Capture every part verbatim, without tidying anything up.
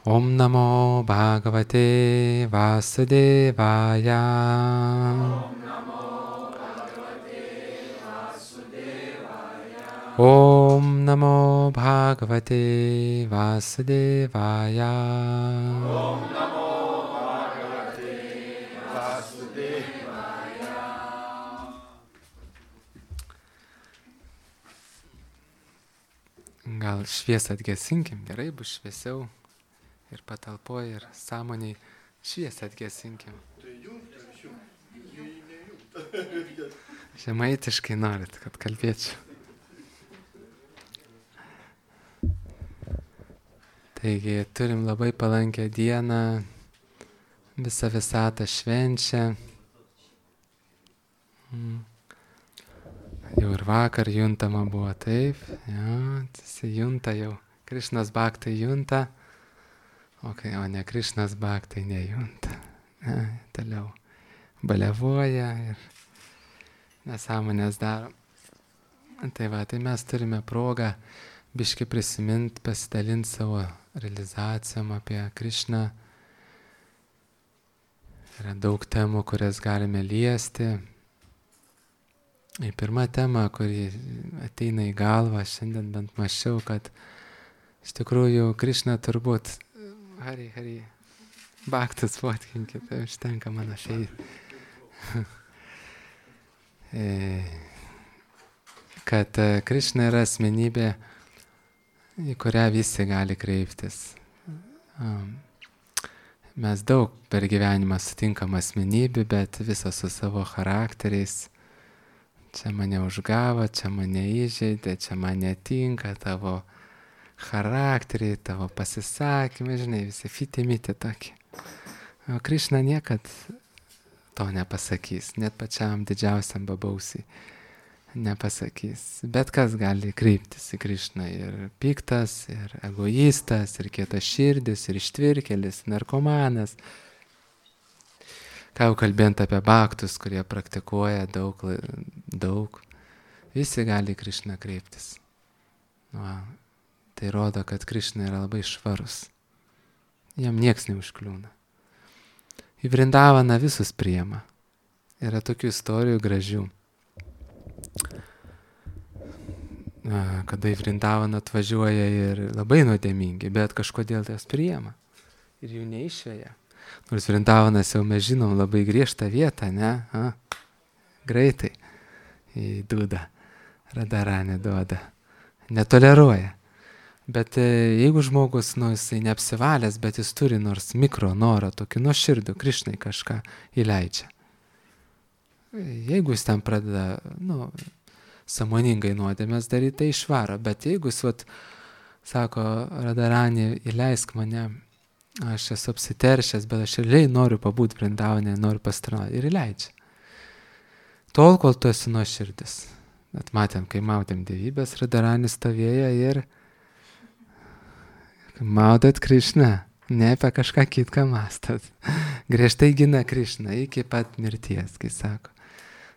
Om Namo Bhagavate Vasudevaya. Om Namo Bhagavate Vasudevaya. Om Namo Bhagavate Vasudevaya. Gal šviesą atgesinkim, gerai bus šviesiau ir patalpoje, ir sąmoniai. Šviesą atgesinkim. Žemaitiškai norit, kad kalbėčiau. Taigi turim labai palankę dieną, visą visatą švenčia. Mm. Jau ir vakar juntama buvo taip, ja, jisai junta jau, Krišnas Bhaktai junta, okay, o ne Krišnas Bhaktai nejunta. Ja, toliau baliavoja ir nesąmonės daro. Tai va, tai mes turime progą biški prisiminti, pasidalinti savo realizacijom apie Krišną. Yra daug temų, kurias galime liesti. Ir pirma tema, kuri ateina į galvą, šiandien bent mačiau, kad iš tikrųjų Krišna turbūt, Hari, Hari, Bhaktas fotkinkit, tai užtenka mano šiai. Kad Krišna yra asmenybė, į kurią visi gali kreiptis. Mes daug per gyvenimą sutinkam asmenybių, bet visos su savo charakteriais. Čia mane užgavo, čia mane įžeidė, čia man netinka tavo charakteriai, tavo pasisakymai, žinai, visi fiti-miti tokie. O Krišna niekad to nepasakys, net pačiam didžiausiam babausiai nepasakys. Bet kas gali kreiptis į Krišną, ir piktas, ir egoistas, ir kietas širdis, ir ištvirkelis, narkomanas. Ką jau kalbėjant apie bhaktus, kurie praktikuoja daug, daug, visi gali į Krišną kreiptis. Va, tai rodo, kad Krišna yra labai švarus. Jam nieks neužkliūna. Į Vrindavaną visus priima. Yra tokių istorijų gražių. Kada į Vrindavaną atvažiuoja ir labai nuodėmingi, bet kažkodėl jas priima. Ir jų neišveja. Nors Vrindavanas jau mes žinom labai griežtą vietą, ne? A? Greitai į dūdą Radharanį duoda. Netoleruoja. Bet jeigu žmogus, nu, jisai neapsivalęs, bet jis turi nors mikro norą, tokį nuoširdų, Krišnai kažką įleidžia. Jeigu jis ten pradeda, nu, sąmoningai nuodėmės daryti, tai išvaro. Bet jeigu jis, vat, sako, Radharani, įleisk mane, aš esu apsiteršęs, bet aš realiai noriu pabūti Vrindavane, noriu pasitarnauti, ir įleidžia. Tol, kol tu esi nuoširdis. Bet matėm, kai maudėm dievybės, Radharanis stovėjo ir maudot Krišną, ne apie kažką kitką mąstot. Griežtai gina Krišną iki pat mirties, kai sako.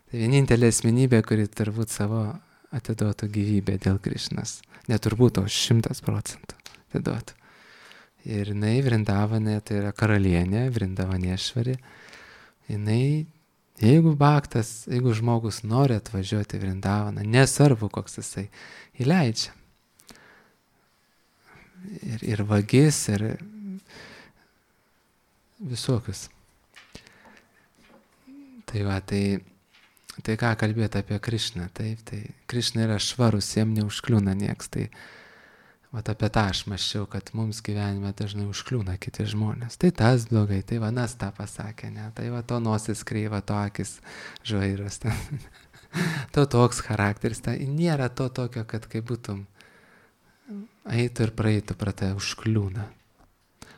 Tai vienintelė asmenybė, kuri turbūt savo atiduotų gyvybę dėl Krišnos. Neturbūt, o šimtas procentų atiduotų. Ir jinai Vrindavane, tai yra karalienė, Vrindavanešvari. Jinai, jeigu bhaktas, jeigu žmogus nori atvažiuoti į Vrindavaną, nesvarbu koks jisai, įleidžia. Ir, ir vagis, ir visokius. Tai va, tai, tai ką kalbėti apie Krišną, taip, tai Krišna yra švarus, jam neužkliūna nieks, tai vat apie tą aš mąsčiau, kad mums gyvenime dažnai užkliūna kiti žmonės. Tai tas blogai, tai vanas tą pasakė, ne, tai va to nosis kreiva, to akis žvairos, to toks charakteris, tai nėra to tokio, kad kai būtum eitų ir praeitų, pra tai užkliūna.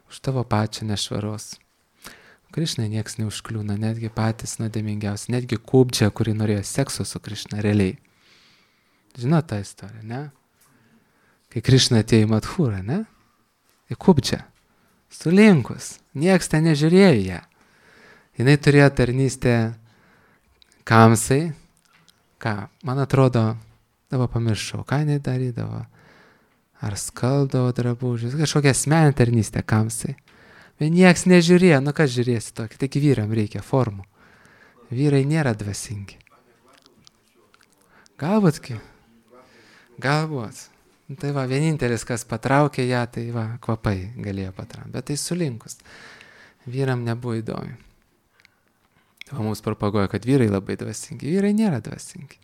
Už tavo pačią nešvaros. Krišnai nieks neužkliūna, netgi patys nuodėmingiausi, netgi Kubdžia, kuri norėjo sekso su Krišna, realiai. Žinot tą istoriją, ne? Kai Krišna atėjo į Madhūrą, ne? Į Kubdžią. Sulinkus. Nieks ten nežiūrėjo ją. Jinai turėjo tarnystę Kamsai. Ką? Man atrodo, dabar pamiršau, ką jinai darydavo. ar skaldavo drabužius, kažkokia asmeninė tarnystė kamsai. Bet nieks nežiūrėjo, nu kas žiūrėsi tokį, tik vyram reikia formų. Vyrai nėra dvasingi. Galbūt, galbūt. Tai va, vienintelis, kas patraukė ją, tai va, kvapai galėjo patraukti, bet tai sulinkus. Vyram nebuvo įdomi. O mums propaguoja, kad vyrai labai dvasingi. Vyrai nėra dvasingi.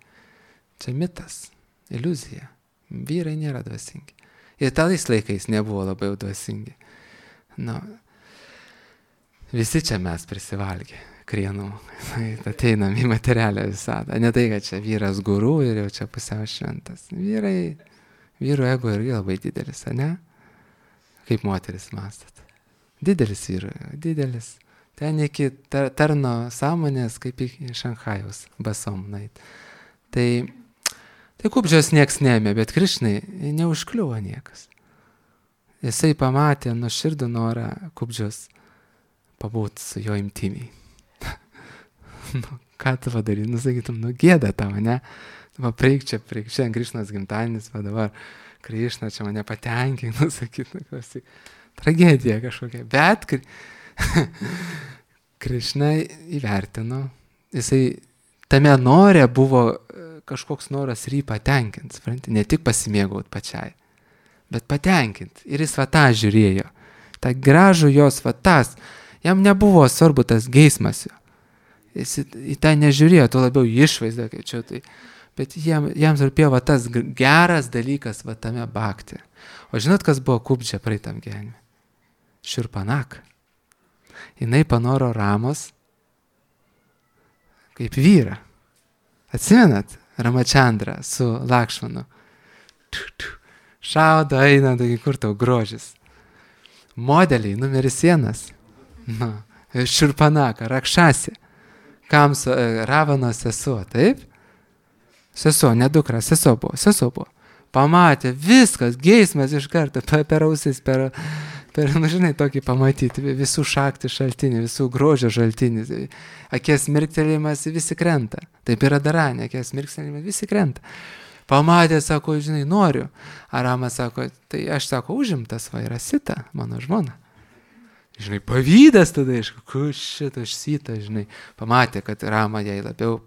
Čia mitas, iliuzija. Vyrai nėra dvasingi. Ir tais laikais nebuvo labai dvasingi. Nu, visi čia mes prisivalgė, krienų. Ateinam į materialią visadą. Ne tai, kad čia vyras guru ir jau čia pusiau šventas. Vyrai, vyrų ego irgi labai didelis, ne? Kaip moteris mąstat. Didelis vyrų, didelis. Ten iki tarno sąmonės, kaip į Šanchajaus basom nait. Tai, tai Kubdžios nieks neėmė, bet Krišnai neužkliuvo niekas. Jisai pamatė nuoširdų norą Kubdžios pabūti su jo imtimiai. Nu, ką tu padarai? Nu, sakytum, nu, gėda tavo, ne? Va, preik čia, preik čia, Krišnos gimtadienis, va dabar Krišna čia mane patenkina, nu, sakytum, klausyk. Tragedija kažkokia. Bet Krišna įvertino, jisai tame norė buvo kažkoks noras ir jį patenkinti, supranti, ne tik pasimėgauti pačiai, bet patenkinti. Ir jis va tą žiūrėjo, tą gražų jos va tas, jam nebuvo svarbu tas geismas jo. Jis į tą nežiūrėjo, tuo labiau išvaizdą, kaip čia tai. Bet jam, jam rūpėjo va tas geras dalykas va tame bhakti. O žinot, kas buvo Kubdžia praeitam gyvenime? Šurpanaka. Jinai panoro Ramos kaip vyrą. Atsimenat? Ramachandra su Lakšmanu. Šaudo, eina, taigi kur tau grožis. Modeliai, numeris vienas. Nu, Šurpanaka, Rakšasi. Kamso, Ravanos sesuo, taip? Sesuo, ne dukra, sesuo buvo, sesuo buvo. Pamatė, viskas, geismas iš karto, per ausis, per, per, nu žinai, tokį pamatyti, visų šakti šaltinį, visų grožio šaltinį, akies mirktelėjimas visi krenta. Taip yra daranė, akies mirktelėjimas visi krenta. Pamatė, sako, žinai, noriu. Aramas sako, tai aš sako, užimtas, va, yra Sita, mano žmona. Žinai, pavydas tada, aišku, kur šitą Sita, žinai, pamatė, kad Rama jai labiau,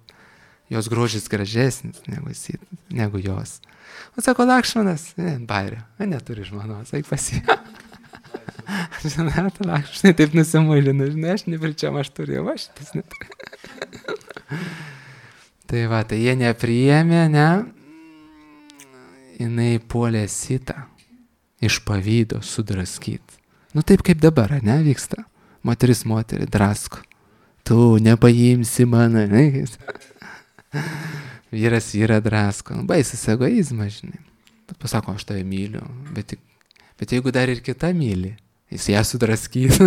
jos grožis gražesnis negu, Sita, negu jos. O sako, Lakšmanas, ne, bairio, neturi žmonos, eik pasi. Žinai, tu Lakšmanai taip nusimuilina, žinai, aš nepričiam, aš turėjau, aš šitas neturiu. Tai va, tai jie nepriėmė, ne, jinai puolė Sitą iš pavydo sudraskyti. Nu taip kaip dabar, ne, vyksta. Moteris moterį drasko. Tu nepaimsi mane, ne? Vyras vyrą drasko. Nu, baisus egoizmas, žinai. Bet pasako, aš tave myliu. Bet, bet jeigu dar ir kita myli, jis ją sudraskys.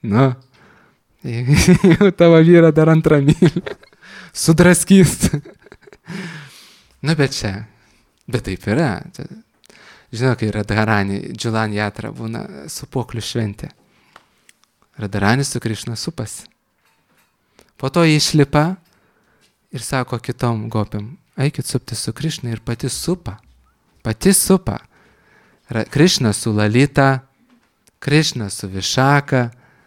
Nu, jeigu tavo vyrą dar antrą myli, sudraskys. Nu, bet čia. Bet taip yra. Žinau, kai Radharani, Džulan Jatra būna supoklių šventė. Radharani su Krišna supasi. Po to išlipa ir sako kitom gopėm, eikit supti su Krišna ir pati supa. Pati supa. Krišna su Lalita, Krišna su Višaka,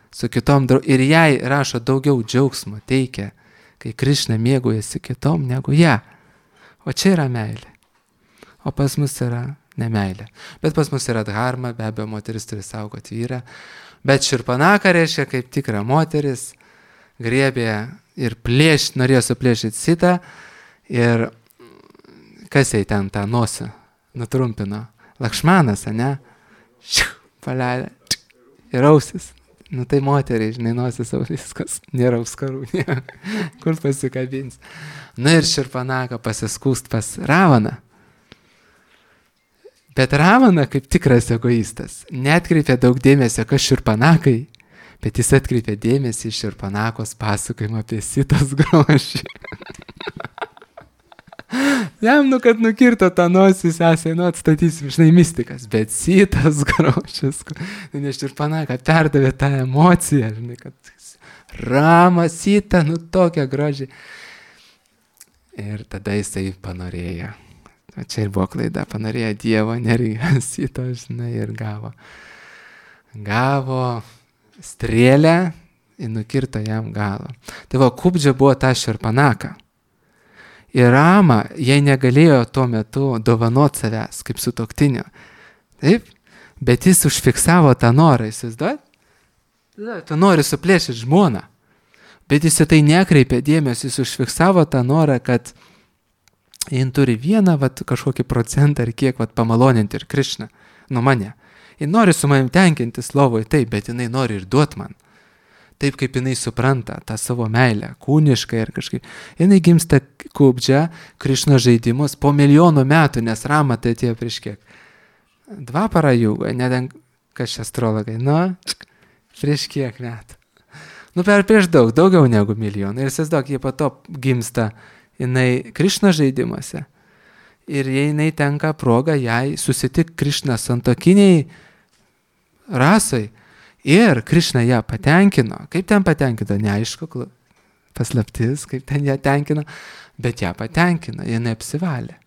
su kitom draugom. Ir jai rašo daugiau džiaugsmo teikia, kai Krišna mėgaujasi kitom negu ją. O čia yra meilė. O pas mus yra nemeilė. Bet pas mus yra dharma, be abejo, moteris turi saugoti vyrą. Bet Šurpanaka reiškia kaip tikra moteris, griebė ir plėš, norėjo suplėšyti Sitą ir kas jai ten tą nosį nutrumpino? Lakšmanas, ne? Šiu, paleidę. Ir ausis. Nu tai moteriai, žinai, nosis viskas. Nėra auskarų. Kur pasikabins. Na ir Šurpanaka pasiskūst pas Ravaną. Bet Ravana, kaip tikras egoistas, neatkreipė daug dėmesio, kas Šurpanakai, bet jis atkreipė dėmesį į Šurpanakos pasakojimą apie Sitos grožį. Jam, nu, kad nukirto tą nosį, sesai, nu, atstatysim, žinai, mistikas, bet Sitos grožis, nes Šurpanaka perdavė tą emociją, žinai, kad Rama, Sita, nu, tokia grožį. Ir tada jisai panorėjo. O čia ir buvo klaida, panorėjo Dievo energijos į to, žinai, ir gavo. Gavo strėlę ir nukirto jam galą. Tai va, Kubdžia buvo ta šerpanaka. Ir Rama, jai negalėjo tuo metu dovanot savęs kaip sutuoktinio. Taip? Bet jis užfiksavo tą norą, įsivaizduojat? Tu nori suplėšyti žmoną. Bet jis į tai nekreipė dėmesio, jis užfiksavo tą norą, kad jin turi vieną vat, kažkokį procentą ar kiek vat, pamaloninti ir Krišną, nu mane. Jis nori su manim tenkintis lovoje, taip, bet jinai nori ir duot man. Taip kaip jinai supranta tą savo meilę, kūniškai ir kažkaip. Jinai gimsta Kubdžia, Krišno žaidimus po milijonų metų, nes Rama tai atėjo prieš kiek. Dva parajūgo, neden kas astrologai, nu, prieš kiek metų. Nu, per prieš daug, daugiau negu milijoną. Ir įsivaizduok, jie po to gimsta jinai Krišno žaidimuose. Ir jinai tenka proga jai susitik Krišną santokiniai rasai. Ir Krišna ją patenkino. Kaip ten patenkino, neaišku, paslaptis, kaip ten ją tenkino, bet ją patenkino, jinai apsivalė.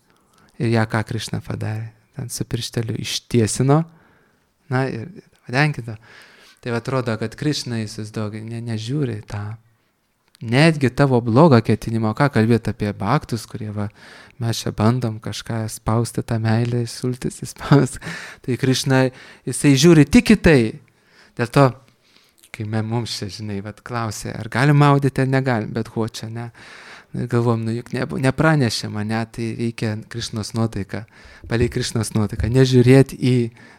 Ir ją ką Krišna padarė, ten su piršteliu ištiesino, na ir patenkino. Tai atrodo, kad Krišna įsivaizduoja, ne, nežiūri tą. Netgi tavo blogą ketinimą, ką kalbėti apie baktus, kurie va, mes čia bandom kažką spausti tą meilę, sultis įspausti. Tai Krišna, jisai žiūri tik į tai. Dėl to, kai mums čia, žinai, vat, klausė, ar galim maudyti, ar negalim, bet ko čia, ne. Galvom, nu juk ne, nepranešė mane, tai reikia Krišnos nuotaiką, paliai Krišnos nuotaiką, nežiūrėti į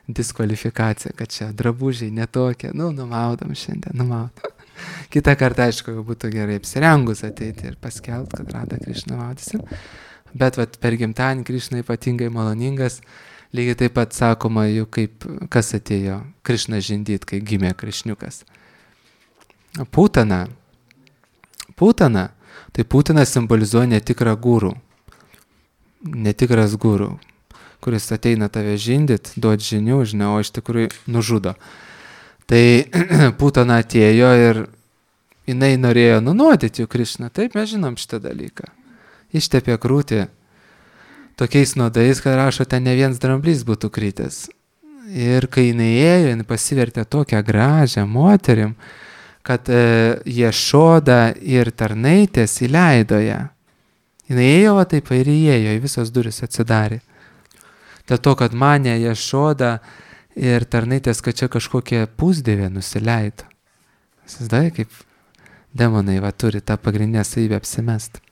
diskvalifikaciją, kad čia drabužiai netokie, nu, numaudom šiandien, numaudom. Kitą kartą, aišku, būtų gerai apsirengus ateiti ir paskelbti, kad Radha Krišna maudysim. Bet vat, per gimtadienį Krišna ypatingai maloningas. Lygiai taip pat sakoma, juk kaip kas atėjo Krišna žindyt, kai gimė Krišniukas. Putana. Putana. Tai Putana simbolizuoja netikrą gurų. Netikras gurų, kuris ateina tave žindyt, duot žinių, žinau, o iš tikrųjų nužudo. Tai Putana atėjo ir jinai norėjo nunuodyti jų Krišną. Taip, mes žinom šitą dalyką. Ištepė krūtį tokiais nuodais, kad rašo, ten ne vienas dramblys būtų kritęs. Ir kai jinai ėjo, jinai pasivertė tokią gražią moterim, kad e, Ješoda ir tarnaitės įleido ją. Jinai ėjo, va taip ir įėjo, į visos duris atsidarė. Dėl to, kad manė Ješoda ir tarnaitės, kad čia kažkokie pusdėvė nusileido. Įsivaizduoji, kaip demonai va turi tą pagrindinę savybę apsimest.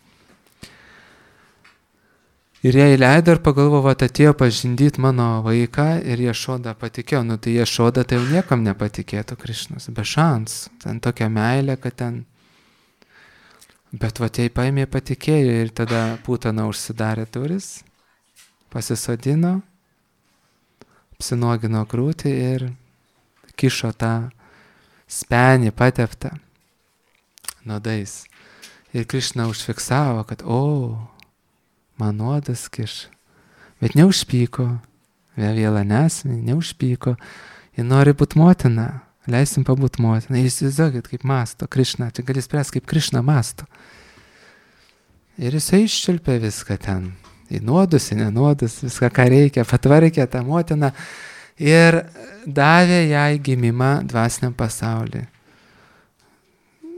Ir jie įleido ir pagalvojo, kad atėjo pažindyti mano vaiką ir Ješoda patikėjo. Nu tai Ješoda tai jau niekam nepatikėtų Krišnos, be šansų. Ten tokia meilė, kad ten... Bet va jai paėmė patikėjo ir tada Putana užsidarė duris, pasisodino, apsinuogino krūtį ir kišo tą spenį pateptą nuodais. Ir Krišna užfiksavo, kad o... man nuodas kiš, bet neužpyko, vėl nesmė, neužpyko, ji nori būti motina, leisim pabūt motina, ir įsivaizduokit, kaip masto Krišna, čia gali spręsti, kaip Krišna masto. Ir jisai iščiulpė viską ten, į nuodus, į nenuodus, viską, ką reikia, patvarkė tą motiną ir davė jai gimimą dvasiniam pasauliui.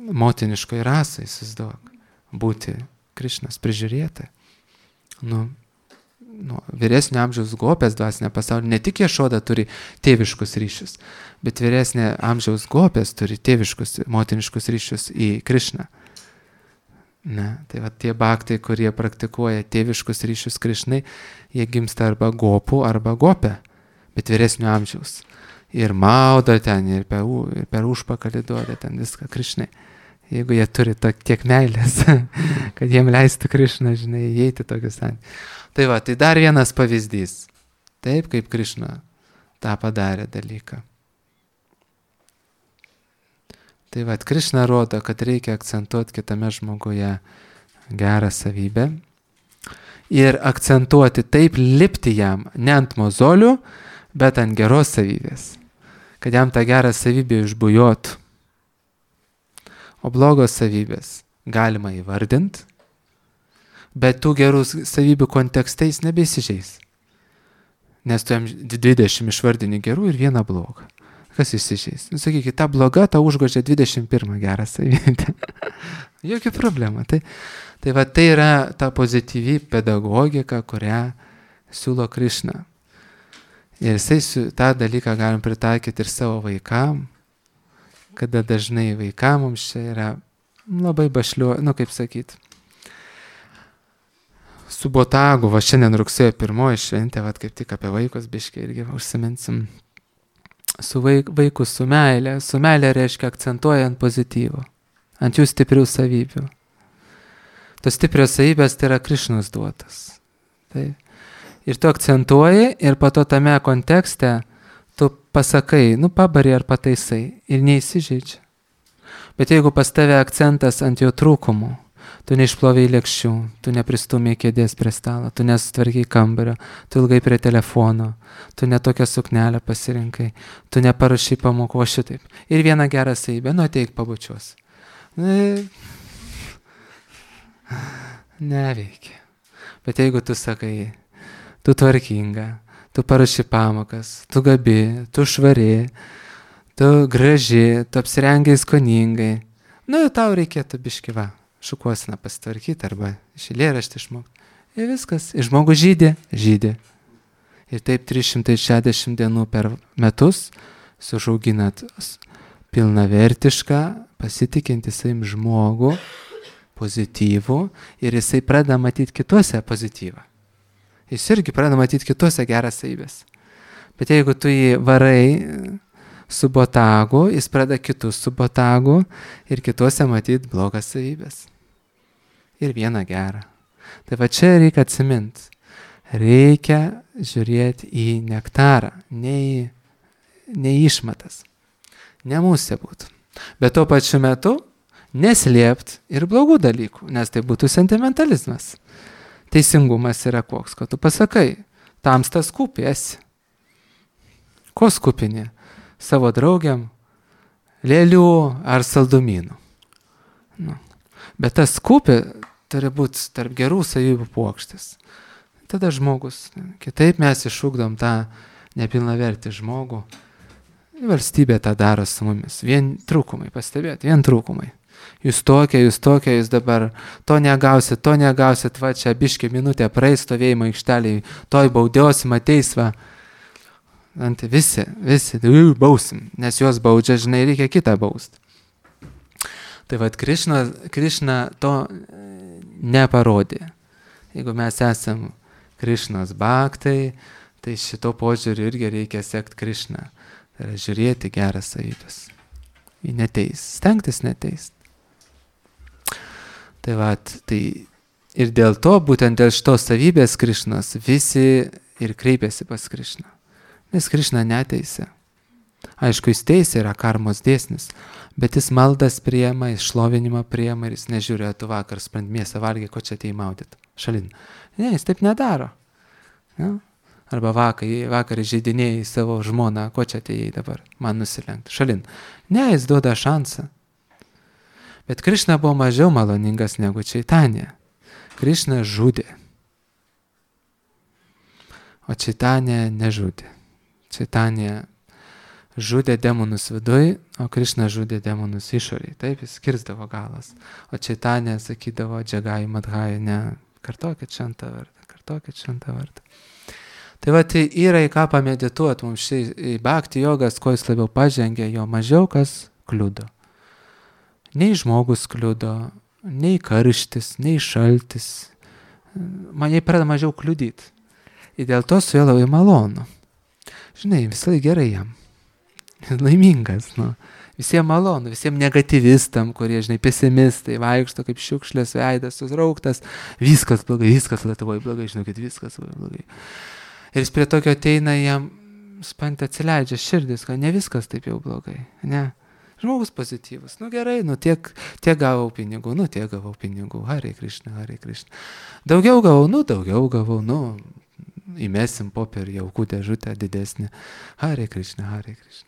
Motiniškoj rasai, įsivaizduok, būti Krišnos prižiūrėtai. Nu, nu, vyresnio amžiaus gopės dvasinė pasaulyje, ne tik Ješoda turi tėviškus ryšius, bet vyresnė amžiaus gopės turi tėviškus, motiniškus ryšius į Krišną. Ne, tai va tie bhaktai, kurie praktikuoja tėviškus ryšius Krišnai, jie gimsta arba gopų, arba gopė, bet vyresnio amžiaus. Ir maudo ten, ir per, ir per užpakalį duoda ten viską Krišnai. Jeigu jie turi to, tiek meilės, kad jiem leistų Krišna, žinai, įeiti tokius santykius. Tai va, tai dar vienas pavyzdys. Taip, kaip Krišna tą padarė dalyką. Tai va, Krišna rodo, kad reikia akcentuoti kitame žmoguje gerą savybę ir akcentuoti taip, lipti jam ne ant mozolių, bet ant geros savybės. Kad jam tą gerą savybę išbujotų. O blogos savybės galima įvardinti, bet tų gerų savybių kontekste jis nebeįsižeis. Nes tu jam dvidešimt išvardini gerų ir vieną blogą. Kas įsižeis? Nu, sakykit, ta bloga, ta užgožia dvidešimt pirmą gerą savybę. Jokia problema. Tai, tai va tai yra ta pozityvi pedagogika, kurią siūlo Krišna. Ir jisai su, tą dalyką galim pritaikyti ir savo vaikam, kada dažnai vaikam mums čia yra labai bašliuo, nu kaip sakyt, su botagu, va šiandien rugsėjo pirmoji šventė, va kaip tik apie vaikus biškai irgi užsiminsim. Su vaik, vaikus, su meilė. Su meilė reiškia akcentuojant pozityvų, ant jų stiprių savybių. Tos stiprios savybės tai yra Krišnos duotas. Tai. Ir tu akcentuoji ir po to tame kontekste tu pasakai, nu pabari ar pataisai ir neįsižeidžia. Bet jeigu pas tave akcentas ant jo trūkumų, tu neišplovei lėkščių, tu nepristūmei kėdės prie stalo, tu nesutvarkiai kambario, tu ilgai prie telefono, tu netokią suknelę pasirinkai, tu neparašai pamokų, o šitaip. Ir vieną gerą savybę, nu ateik pabučiuos. Ne, neveikia. Bet jeigu tu sakai, tu tvarkinga, tu parašai pamokas, tu gabi, tu švari, tu graži, tu apsirengiai skoningai, nu tau reikėtų biški va. Šukuosiną pasitvarkyti arba iš eilėraštį išmokti. Ir viskas. Ir žmogus žydė, žydė. Ir taip trys šimtai šešiasdešimt dienų per metus sužauginat pilnavertišką, pasitikintį savim žmogų, pozityvų, ir jisai pradeda matyti kituose pozityvą. Jis irgi pradeda matyti kituose geras savybės. Bet jeigu tu jį varai su botagu, jis pradeda kitus su botagu ir kituose matyti blogas savybės. Ir vieną gerą. Tai va čia reikia atsiminti. Reikia žiūrėti į nektarą, ne į, ne į išmatas. Ne mūsų būtų. Bet tuo pačiu metu neslėpti ir blogų dalykų, nes tai būtų sentimentalizmas. Teisingumas yra koks, kad tu pasakai, tamstas skupėsi. Ko skupinė? Savo draugiam, lėlių ar saldumynų. Nu. Bet tas skupė turi būti tarp gerų savybių puokštės. Tada žmogus, kitaip mes išugdom tą nepilnavertį žmogų. Valstybė tą daro su mumis. Vien trūkumai, pastebėti, vien trūkumai. Jūs tokia, jūs tokia, jūs dabar to negausit, to negausit, va čia biškį minutę praeis stovėjimo aikšteliai, toj baudiosim, ateis va. Ant visi, visi, bausim, nes juos baudžia, žinai, reikia kitą bausti. Tai vad, Krišna, Krišna to neparodė. Jeigu mes esam Krišnos bhaktai, tai šito požiūriu irgi reikia sekti Krišną. Tai yra žiūrėti geras savybės. Į neteis, stengtis neteist. Tai vad, tai ir dėl to, būtent dėl šitos savybės Krišnos, visi ir kreipiasi pas Krišną. Nes Krišna neteisė. Aišku, jis teisė yra karmos dėsnis, bet jis maldas priema, jis šlovinimą priema ir jis nežiūrėjo, tu vakar sprant mėsą valgiai, ko čia atėjai maudyt. Šalin. Ne, jis taip nedaro. Ja? Arba vakar, vakar žaidinėjai savo žmoną, ko čia atėjai dabar, man nusilenkti. Šalin. Ne, jis duoda šansą. Bet Krišna buvo mažiau maloningas negu Čaitanija. Krišna žudė. O Čaitanija nežudė. Čaitanija žudė demonus viduj, o Krišna žudė demonus išoriai. Taip, jis skirsdavo galas. O Čaitanija sakydavo, džagai, madhai, ne, kartokit šventą vardą, kartokit šventą vardą. Tai va, tai yra į ką pamedituoti mums šiai į bhakti jogas, ko jis labiau pažengė, jo mažiau kas kliudo. Nei žmogus kliudo, nei karštis, nei šaltis. Man jai pradeda mažiau kliudyti. Ir dėl to su juo labai malonu. Žinai, visai gerai jam. Laimingas, nu. Visiems malonu, visiems negativistam, kurie, žinai, pesimistai, vaikšto kaip šiukšlės veidas, susrauktas, viskas blogai, viskas Lietuvoje blogai, žinokit, viskas blogai. Ir jis prie tokio ateina, jam spant atsileidžia širdis, kad ne viskas taip jau blogai, ne. Žmogus pozityvus, nu gerai, nu tiek, tiek gavau pinigų, nu tiek gavau pinigų, Hare Krišna, Hare Krišna. Daugiau gavau, nu daugiau gavau, nu įmesim popierį jaukų dėžutę didesnį, Hare Krišna, Hare Krišna.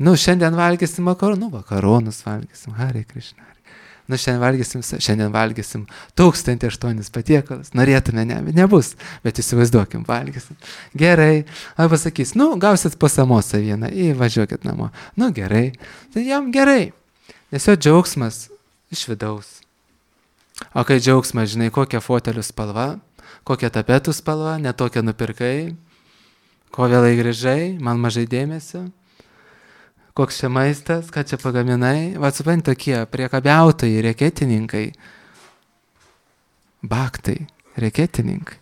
Nu šiandien valgysim makaronų, nu makaronus valgysim, Hare Krišna. Nu, šiandien valgysim, šiandien valgysim tūkstantį aštuonis patiekalus. Norėtume, ne, nebus, bet įsivaizduokim, valgysim. Gerai. Arba sakys, nu, gausit po samosą vieną, įvažiuokit namo. Nu, gerai. Tai jam gerai. Nes jo džiaugsmas iš vidaus. O kai džiaugsmas, žinai, kokia fotelių spalva, kokia tapetų spalva, netokia nupirkai, ko vėlai grįžai, man mažai dėmesio, koks čia maistas, ką čia pagaminai, va supranti tokie priekabiautojai, reketininkai, baktai, reketininkai,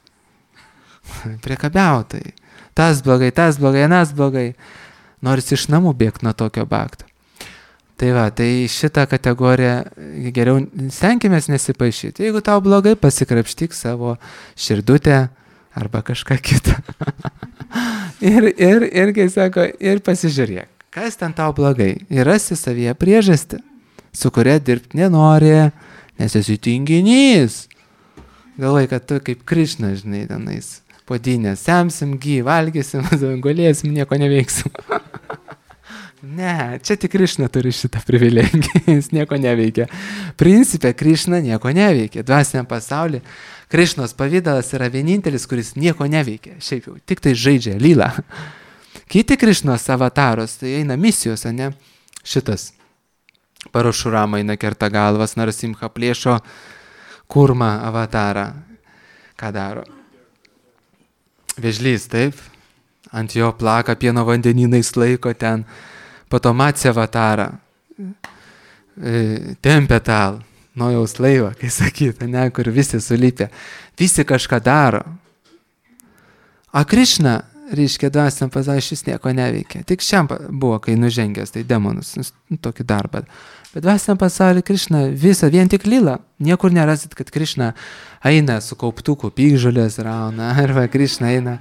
priekabiautojai, tas blogai, tas blogai, anas blogai, norisi iš namų bėgti nuo tokio bakto. Tai va, tai šitą kategoriją geriau stenkimės nesipaišyti. Jeigu tau blogai, pasikrapštyk savo širdutę arba kažką kitą. ir, ir, ir, kai sako, ir pasižiūrėk, kas ten tau blogai. Ir rasi savyje priežastį, su kuria dirbti nenori, nes esi tinginys. Galvai, kad tu kaip Krišna, žinai, tenais podinės, semsim, gy, valgysim, gulėsim, nieko neveiksim. Ne, čia tik Krišna turi šitą privilegiją, jis nieko neveikia. Principe, Krišna nieko neveikia. Dvasiniam pasaulyje Krišnos pavydalas yra vienintelis, kuris nieko neveikia. Šiaip jau, tik tai žaidžia lylą. Kiti Krišnos avataros, tai eina misijos, ne? Šitas Parašurama eina kerta galvas, Narasimha plėšo kurmą avatarą. Ką daro? Vėžlys, taip? Ant jo plaka pieno vandenynais laiko ten. Po to Matsya avatarą, e, tempia tal, Nojaus laivą, kai sakyta, ne, kur visi sulipė. Visi kažką daro. O Krišna, reiškia, dvasiniam pasaulyje šis nieko neveikia. Tik šiam buvo, kai nužengęs, tai demonus, nu, tokį darbą. Bet dvasiniam pasaulyje Krišna visą, vien tik lila. Niekur nerasit, kad Krišna eina su kauptuku, pykžolės rauna, arba Krišna eina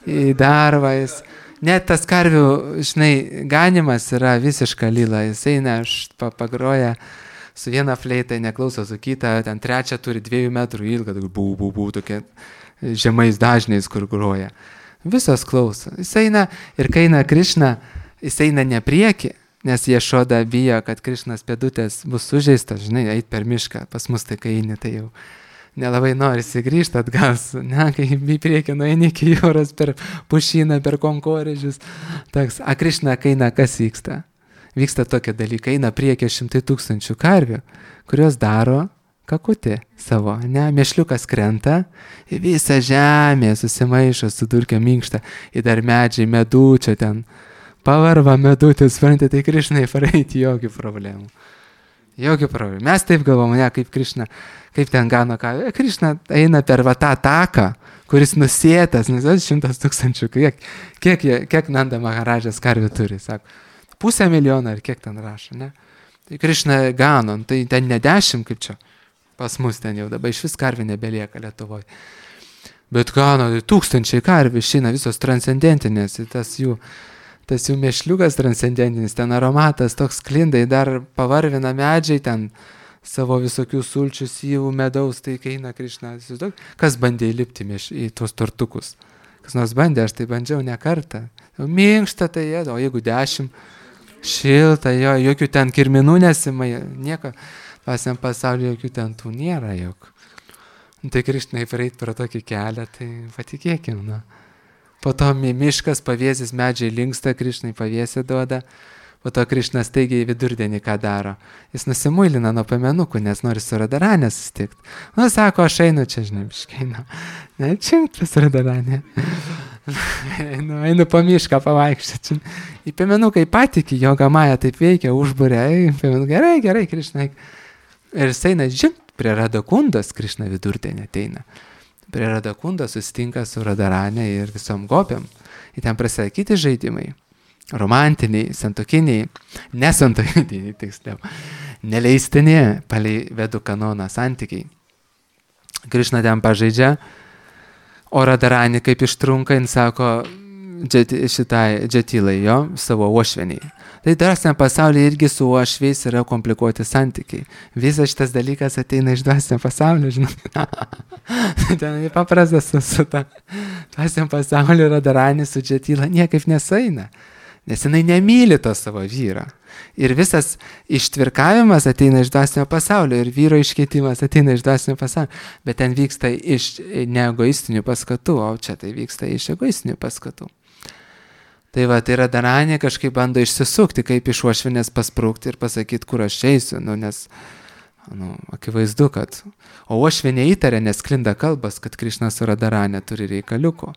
į darbą. Jis, net tas karvių, žinai, ganimas yra visiška lila. Jis eina, pagroja su viena fleita, neklauso su kita, ten trečia turi dviejų metrų ilgą, bū, bū, bū, tokia žemais dažniais, kur groja. Visos klauso. Jis eina ir kai eina Krišna, jis eina ne prieki, nes Ješoda bijo, kad Krišnas pėdutės bus sužeistas, žinai, eit per mišką. Pas mus tai kai eini, tai jau nelabai norisi grįžti atgal, ne, kai į priekį nueini iki jūros per pušyną, per konkorėžius. Toks, a Krišna, kai eina, kas vyksta? Vyksta tokie dalykai, eina priekį šimtai tūkstančių karvių, kurios daro kakutį savo, ne, mešliukas krenta, į visą žemę susimaišo su durkė minkšta, į dar medžiai, medučio ten, pavarva medutis, suprantate, tai Krišnai praeiti jokių problemų. Jokių problemų. Mes taip galvom, ne, kaip Krišna, kaip ten gano ką. Krišna eina per va tą taką, kuris nusėtas, nes šimtas tūkstančių, kiek, kiek, kiek Nanda Maharadžas karvių turi, sako, pusę milijoną ar kiek ten rašo, ne? Tai Krišna gano, tai ten ne dešimt kaip čia, pas mus ten jau dabar iš vis karvių nebelieka Lietuvoje. Bet gano, tai tūkstančiai karvių išeina visos transcendentinės, tas jų tas jų mešliukas transcendentinis, ten aromatas toks klindai, dar pavarvina medžiai, ten savo visokių sulčių, syvų, medaus, tai kai eina Krišna, kas bandė įlipti į tuos tortukus? Kas nors bandė, aš tai bandžiau ne kartą. Minkšta tai jėda, o jeigu dešimt, šilta, jo, jokių ten kirminų nesimai, nieko, pasiam pasaulyje jokių ten tų nėra, jok. Tai Krišnai praeit pro tokį kelią, tai patikėkim, na. Po to miškas, pavėsis, medžiai linksta, Krišnai pavėsį duoda. Po to Krišnas teigiai vidurdienį ką daro. Jis nusimuilina nuo pamenukų, nes nori su Radaranė susitikti. Nu, sako, aš einu čia, žinai, biškeinu. Ne, čimp pas Radaranė. einu, einu po mišką pavaikščioti. Į pamenuką įpatiki, jo gamaja taip veikia, užburė. Gerai, gerai, Krišnai. Ir jis eina, žinot, prie Radakundos Krišna vidurdienį ateina. Prie Radakundo susitinka su Radaranė ir visom gopiam. Ir ten prasideda kiti žaidimai. Romantiniai, santokiniai, nesantokiniai, tiksliau, neleistini, palei vedų kanoną santykiai. Krišna ten pažaidžia, o Radaranė kaip ištrunka, jis sako džeti, šitai džetilai jo, savo uošveniai. Tai dvasiniam pasaulyje irgi su uošviais yra komplikuoti santykiai. Visas šitas dalykas ateina iš dvasinio pasaulio, žinai. Ten paprastas su, su ta dvasiniam pasaulio Radaranė su džetila niekaip nesaina. nes jinai nemyli to savo vyro. Ir visas ištvirkavimas ateina iš dvasinio pasaulio ir vyro iškeitimas ateina iš dvasinio pasaulio, bet ten vyksta iš neegoistinių paskatų, o čia tai vyksta iš egoistinių paskatų. Tai va, tai Radharanė kažkaip bando išsisukti, kaip iš uošvienės pasprūkti ir pasakyti, kur aš eisiu, nu, nes nu, akivaizdu, kad... O uošvienė įtarė, nes sklinda kalbas, kad Krišna su Radharanė turi reikaliukų.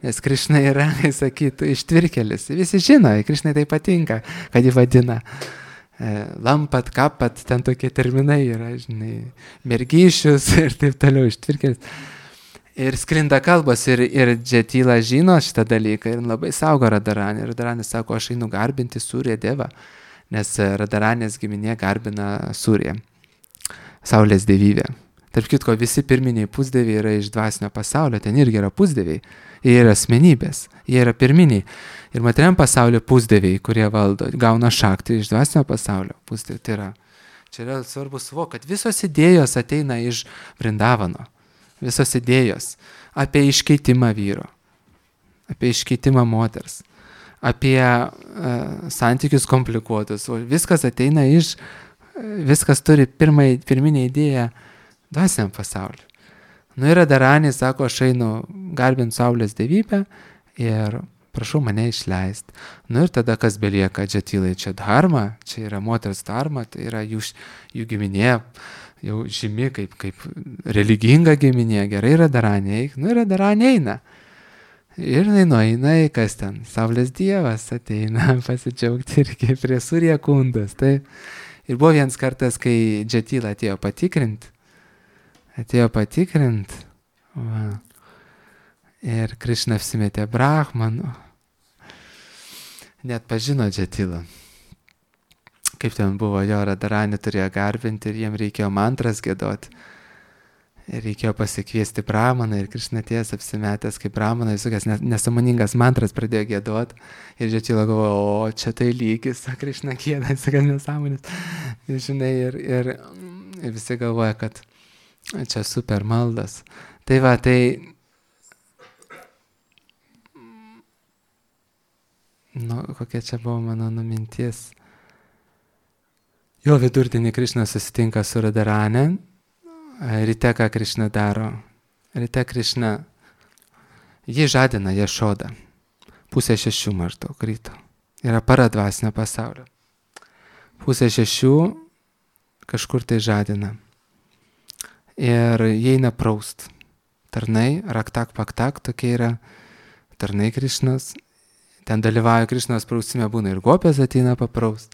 Nes Krišna yra, sakytų, ištvirkelis. Visi žino, Krišnai tai patinka, kad jį vadina e, lampat, kapat, ten tokie terminai yra, žinai, mergyšius ir taip toliau, ištvirkelis. Ir sklinda kalbos ir, ir Džatila žino šitą dalyką ir labai saugo Radharanę. Radharanė sako, aš einu garbinti Surya Devą, nes Radharanės giminė garbina Surya, Saulės dievybė. Tarp kitko, visi pirminiai pusdieviai yra iš dvasinio pasaulio, ten irgi yra pusdieviai. Jie yra asmenybės, jie yra pirminiai. Ir materiam pasaulio pusdieviai, kurie valdo, gauna šaktį iš dvasinio pasaulio. Pusdieviai, tai yra, čia yra svarbu suvokti, kad visos idėjos ateina iš Vrindavano. Visos idėjos apie iškeitimą vyro, apie iškeitimą moters, apie uh, santykius komplikuotus. O viskas ateina iš, viskas turi pirmai, pirminę idėją dvasiniam pasauliu. Nu ir Radharanė sako, aš einu garbint Saulės dievybę ir prašau mane išleisti. Nu ir tada kas belieka Džatilai, čia dharma, čia yra moters dharma, tai yra jų, jų giminė, jau žymi kaip, kaip religinga giminė, gerai Radharanė eik, nu ir Radharanė eina. Ir jinai nueina, kas ten, Saulės dievas ateina pasidžiaugti irgi prie Surya kundas. Tai. Ir buvo vienas kartas, kai Džatila atėjo patikrint, atėjo patikrint, va. Ir Krišna apsimetė brahmanu, net pažino Džatilą. Kaip ten buvo, jo Radharanė turėjo garbinti ir jiem reikėjo mantras giedoti. Ir reikėjo pasikviesti brahmaną ir Krišna atėjęs apsimetęs kaip brahmaną, visokias nesąmoningas mantras pradėjo giedoti. Ir Džatila galvojo, o čia tai lygis, Krišna gieda, visokias nesąmonės. Ir žinai, ir, ir, ir visi galvoja, kad čia super maldas. Tai va, tai... Nu, kokia čia buvo mano numintis. Jo vidurdienį Krišna susitinka su Radharanė. Ryte ką Krišna daro? Ryte Krišna, jį žadina Jašodą. Pusė šešių maždaug ryto. Yra para dvasinio pasaulio. Pusė šešių kažkur tai žadina. Ir jie eina praust. Tarnai, raktak paktak, tokie yra tarnai Krišnos. Ten dalyvauja Krišnos prausime, būna ir gopės ateina papraust,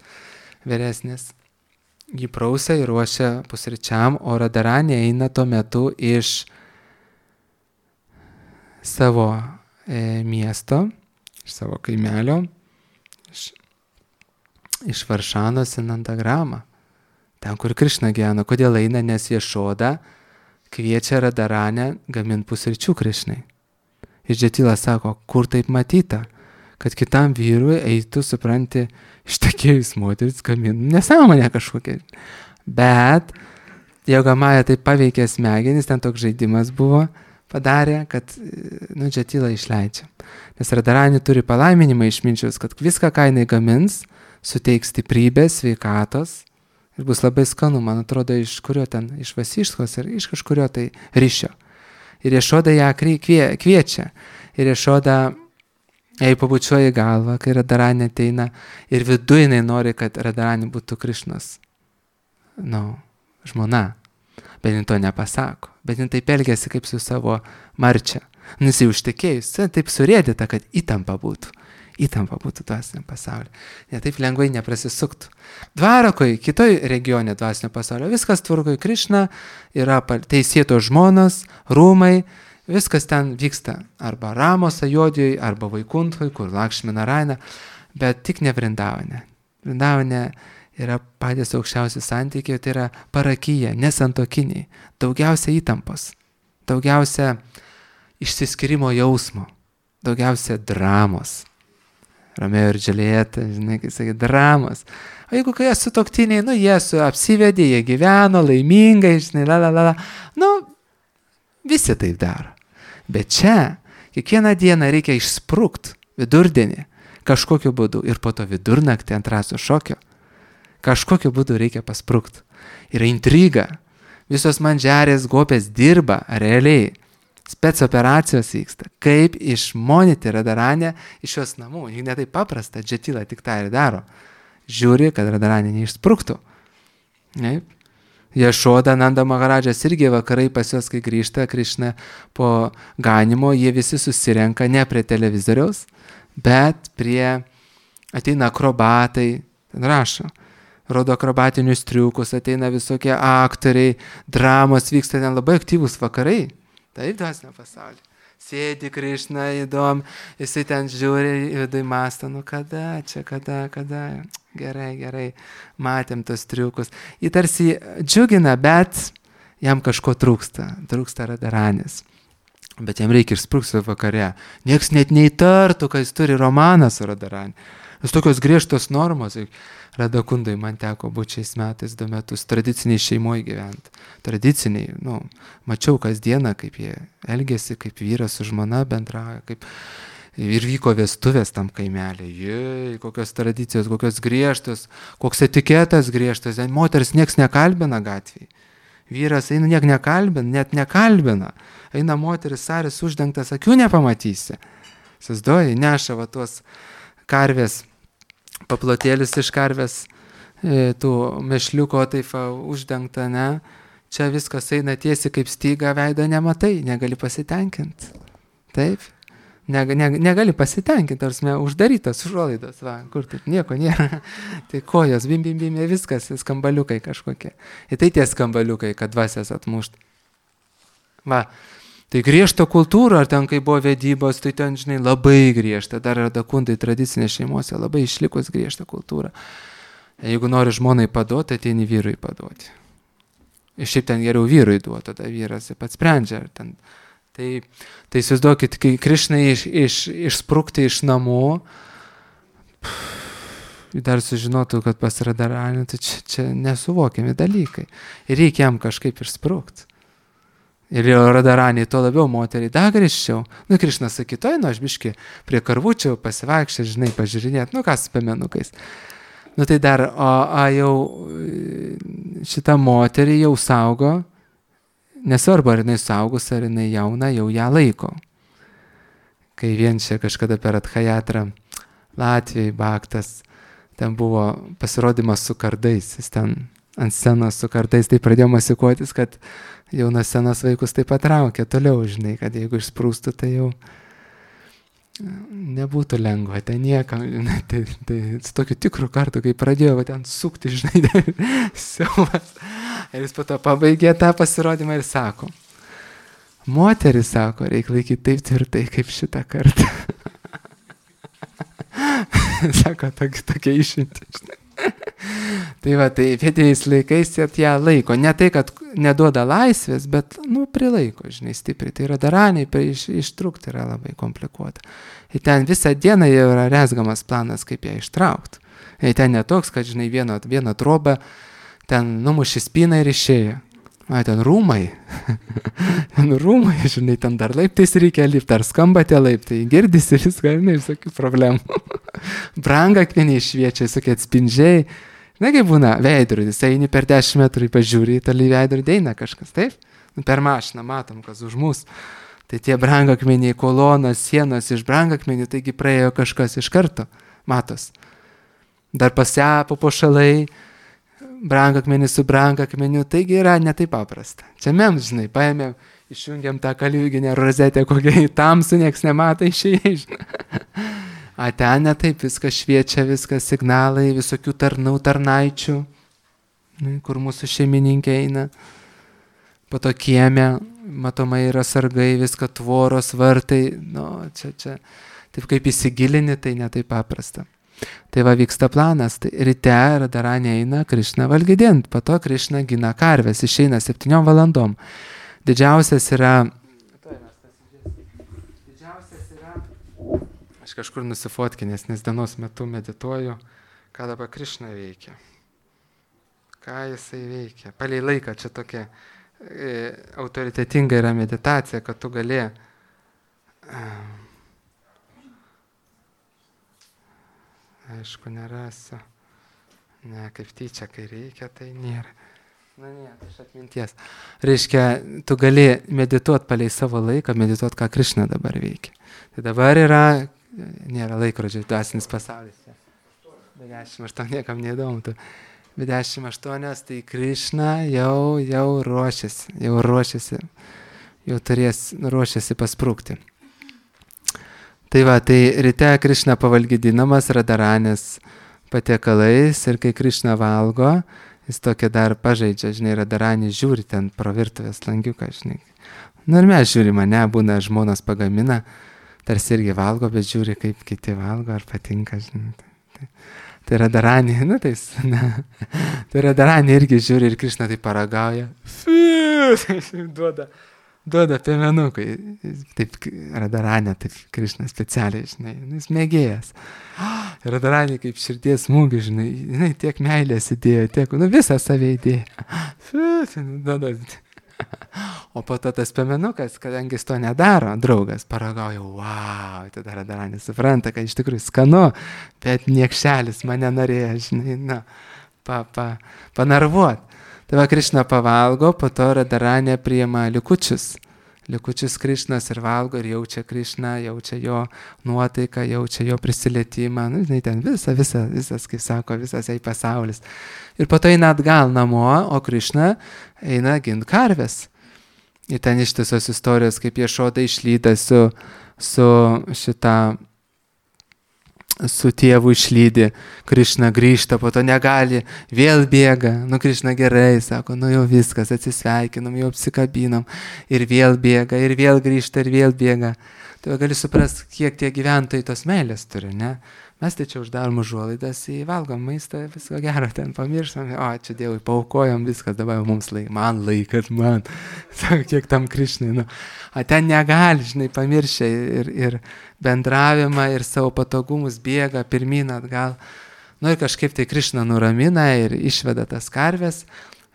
vyresnis. Jį prausia ir ruošia pusryčiam, o Radharanė eina tuo metu iš savo e, miesto, iš savo kaimelio, iš, iš Varšanos į Nandagramą, ten, kur Krišna gyvena. Kodėl eina? Nes Jašoda kviečia Radharanę gaminti pusryčių Krišnai. Ir Džatila sako, kur taip matyta, kad kitam vyrui eitų, supranti, ištekėjus moteris gaminti nesąmonę kažkokią. Bet Jogamaja taip paveikė smegenis, ten toks žaidimas buvo, padarė, kad nu, Džatila išleidžia. Nes Radharanė turi palaiminimą išminčius, kad viską, ką jinai gamins, suteiks stiprybės, sveikatos ir bus labai skanu, man atrodo, iš kurio ten, iš Vasiškos ir iš kažkurio tai ryšio. Ir Jašoda ją kvie, kviečia. Ir Jašoda jai pabučiuoja galvą, kai Radharanė ateina ir viduj jinai nori, kad Radharanė būtų Krišnos, nu, žmona. Bet jin to nepasako. Bet jin taip elgiasi kaip su savo marčia. Nus jau užtekėjus, taip surėdita, kad įtampa būtų. Įtampa būtų dvasiniam pasauliu. Ne taip lengvai neprasisuktų. Dvarakoj, kitoj regione dvasinio pasaulio, viskas tvarkoj, Krišna, yra teisėto žmonos, rūmai, viskas ten vyksta arba Ramos Ajodijoj, arba Vaikuntoj, kur Lakšmi Narayana, bet tik ne Vrindavane. Vrindavane yra patys aukščiausi santykiai, tai yra parakyje, nesantokiniai, daugiausia įtampos, daugiausia išsiskyrimo jausmo, daugiausia dramos. Romeo ir Džiuljeta, žinai, kai sakai, dramos. O jeigu kai jie sutuoktiniai, nu jie su apsivedė, jie gyveno laimingai, žinai, la la la la, nu visi taip daro. Bet čia kiekvieną dieną reikia išsprūkt vidurdienį, kažkokiu būdu. Ir po to vidurnaktį ant raso šokio kažkokiu būdu reikia pasprukti. Yra intriga. Visos mandžiarės gopės dirba realiai. Spec operacijos vyksta. Kaip išmonyti Radaranę iš jos namų. Juk ne taip paprasta, Džatila tik tą ir daro. Žiūri, kad Radaranė neišspruktų. Taip. Jašoda, Nanda Maharadžas irgi vakarai pas juos, kai grįžta Krišna po ganimo, jie visi susirenka ne prie televizoriaus, bet prie, ateina akrobatai, ten rašo, rodo akrobatinius triukus, ateina visokie aktoriai, dramos vyksta, ten labai aktyvūs vakarai, taip dvasinio pasaulio. Sėdi Krišna, įdomu, jisai ten žiūri, vidai mąsto, nu kada, čia kada, kada, gerai, gerai, matėm tos triukus. Jį tarsi džiugina, bet jam kažko trūksta, trūksta Radaranės. Bet jam reikia išsprukti vakare. Niekas net neįtartų, kad jis turi romaną su Radaranė. Vis tokios griežtos normos. Radakundai man teko būti šiais metais du metus tradiciniai šeimoje gyventi. Tradiciniai, nu, mačiau kasdieną, kaip jie elgėsi, kaip vyras su žmona bendrauja, kaip ir vyko vestuvės tam kaimelė. Jei, kokios tradicijos, kokios griežtos, koks etiketas griežtas. Moteris nieks nekalbina gatvėje. Vyras eina niek nekalbina, net nekalbina. Eina moteris, saris uždengtas, akių nepamatysi. Sasdoji, neša va tuos karvės, paplotėlis iš karvės, e, tų mešliuko taip uždengta, ne? Čia viskas eina tiesiai kaip styga, veido nematai, negali pasitenkinti. Taip? Neg, neg, negali pasitenkinti, tarsi uždarytas užuolaidos, va, kur taip nieko nėra. Tai kojos, bim, bim, bim, viskas, skambaliukai kažkokie. Ir tai tie skambaliukai, kad dvasias atmušt. Va. Tai griežta kultūra, ar ten kai buvo vedybos, tai ten, žinai, labai griežta. Dar Radakundai tradicinės šeimose labai išlikus griežta kultūra. Jeigu nori žmonai paduoti, ateini vyrui paduoti. Ir šiaip ten geriau vyrui duoti, tada vyras pats sprendžia. Ten. Tai, tai įsivaizduokit, kai Krišnai iš, iš, išsprukti iš namų, dar sužinotų, kad pas Radaranę, tai čia, čia nesuvokiami dalykai. Ir reikia jam kažkaip išsprukti. Ir jau Radaranė, to labiau moteriai, dar grįžčiau. Nu, Krišnas sakytų, nu, aš biški prie karvučių pasivaikščiau, žinai, pažiūrinėt, nu, kas su piemenukais. Nu, tai dar, o, o jau šitą moterį jau saugo, nesvarbu, ar jinai saugus, ar jinai jauna, jau ją laiko. Kai vien čia kažkada per Adhajatrą Latvijai Baktas, ten buvo pasirodymas su kardais, jis ten ant scenos su kardais, tai pradėjo masikuotis, kad jaunas senas vaikus taip patraukė toliau, žinai, kad jeigu išsprūstų, tai jau nebūtų lengva, tai niekam, žinai, tai, tai su tokiu tikru kartu, kai pradėjo va, ten sukti, žinai, siaubas. Ir jis po to pabaigė tą pasirodymą ir sako, moteris, sako, reikia laikyti taip tvirtai, kaip šitą kartą. Sako, tokia išimti, žinai. Tai va, tai vietiniais laikais ją laiko. Ne tai, kad neduoda laisvės, bet, nu, prilaiko, žinai, stipriai. Tai Radaraniai iš, ištrūkti yra labai komplikuota. Ir ten visą dieną jau yra rezgamas planas, kaip ją ištraukti. Ir ten netoks, kad, žinai, vieną, vieną trobą, ten numuši spyną ir išėjo. A, ten rūmai. Ten rūmai, žinai, ten dar laiptais reikia lipti, ar skamba tie laiptai, girdisi viską, žinai, visokių problemų. Brangakmeniai šviečia, visokie atspindžiai. Na, kaip būna, veidrodis, eini per dešimt metrų, pažiūri, toli veidrodį eina kažkas, taip? Nu, per mašiną matom, kas už mus. Tai tie brangakmeniai, kolonos, sienos iš brangakmenių, taigi praėjo kažkas iš karto, matos. Dar pasiapo pašalai, brangakmenis su brangakmeniu, taigi yra netai paprasta. Čia mes, žinai, paėmėm, išjungiam tą kaliuginę rozetę, kokią į tamsų, nieks nemato išėjai, žinai. A ten netaip, viskas šviečia, viskas signalai, visokių tarnų, tarnaičių, kur mūsų šeimininkė eina. Po to kieme, matomai yra sargai, viską tvoros, vartai, nu, čia, čia, taip kaip įsigilini, tai netaip paprasta. Tai va vyksta planas, tai ryte Radaranė eina Krišną valgydint, po to Krišna gina karves, išeina septyniom valandom. Didžiausias yra, didžiausias yra, aš kažkur nusifotkinęs, nes dienos metu medituoju, ką dabar Krišna veikia. Ką jisai veikia. Palei laiką čia tokia e, autoritetinga yra meditacija, kad tu gali... E, Aišku, nerasiu. Ne, kaip tyčia, kai reikia, tai nėra. Na, ne, iš atminties. Reiškia, tu gali medituoti palei savo laiką, medituoti, ką Krišna dabar veikia. Tai dabar yra, nėra laikrodžio, dvasinis pasaulis. Bet dešimt aštuonių niekam neįdomu. Bet dešimt aštuonios, tai Krišna jau, jau ruošiasi, jau ruošiasi, jau turės, ruošiasi pasprūkti. Tai va, tai ryte Krišna pavalgydinamas Radaranės patiekalais ir kai Krišna valgo, jis tokia dar pažaidžia, žinai, Radaranį žiūri ten pro virtuvės langiuką, žinai. Nu ir mes žiūri mane, būna žmonos pagamina, tarsi irgi valgo, bet žiūri, kaip kiti valgo, ar patinka, žinai. Tai, tai Radaranį, nu tai, ne, tai Radaranį irgi žiūri ir Krišna tai paragauja, duoda, duoda piemenukui. Taip Radaranė, taip Krišna specialiai, žinai, jis mėgėjas. Radaranė kaip širdies smūgį, žinai, žinai, tiek meilės įdėjo, tiek, nu visą save įdėjo. O po to tas piemenukas, kadangi jis to nedaro, draugas paragauja, wow, tada Radaranė supranta, kad iš tikrųjų skanu, bet niekšelis mane norėjo, žinai, na, pa, pa, panarvuot. Tai va Krišna pavalgo, po to Radaranė priima likučius. Likučius Krišnas ir valgo ir jaučia Krišną, jaučia jo nuotaiką, jaučia jo prisilietimą, nu, žinai, ten visa, visa, visas, kaip sako, visas jai pasaulis. Ir po to eina atgal namo, o Krišna eina gint karvės. Ir ten ištisos istorijos, kaip Ješoda išlyda su, su šitą, su tėvu išlydi, Krišna grįžta, po to negali, vėl bėga, nu Krišna gerai, sako, nu jau viskas, atsisveikinom, jau apsikabinom, ir vėl bėga, ir vėl grįžta, ir vėl bėga. Tai gali suprasti, kiek tie gyventojai tos meilės turi, ne? Mes tai čia uždarom užuolaidas, įvalgom maistą, visko gero, ten pamirštam, o čia Dievui, paaukojom viskas, dabar mums laik, man laikat, man, sako, kiek tam Krišnai, nu, o ten negali, žinai, pamiršę ir, ir bendravimą, ir savo patogumus bėga pirmyn atgal, nu ir kažkaip tai Krišna nuramina ir išveda tas karves,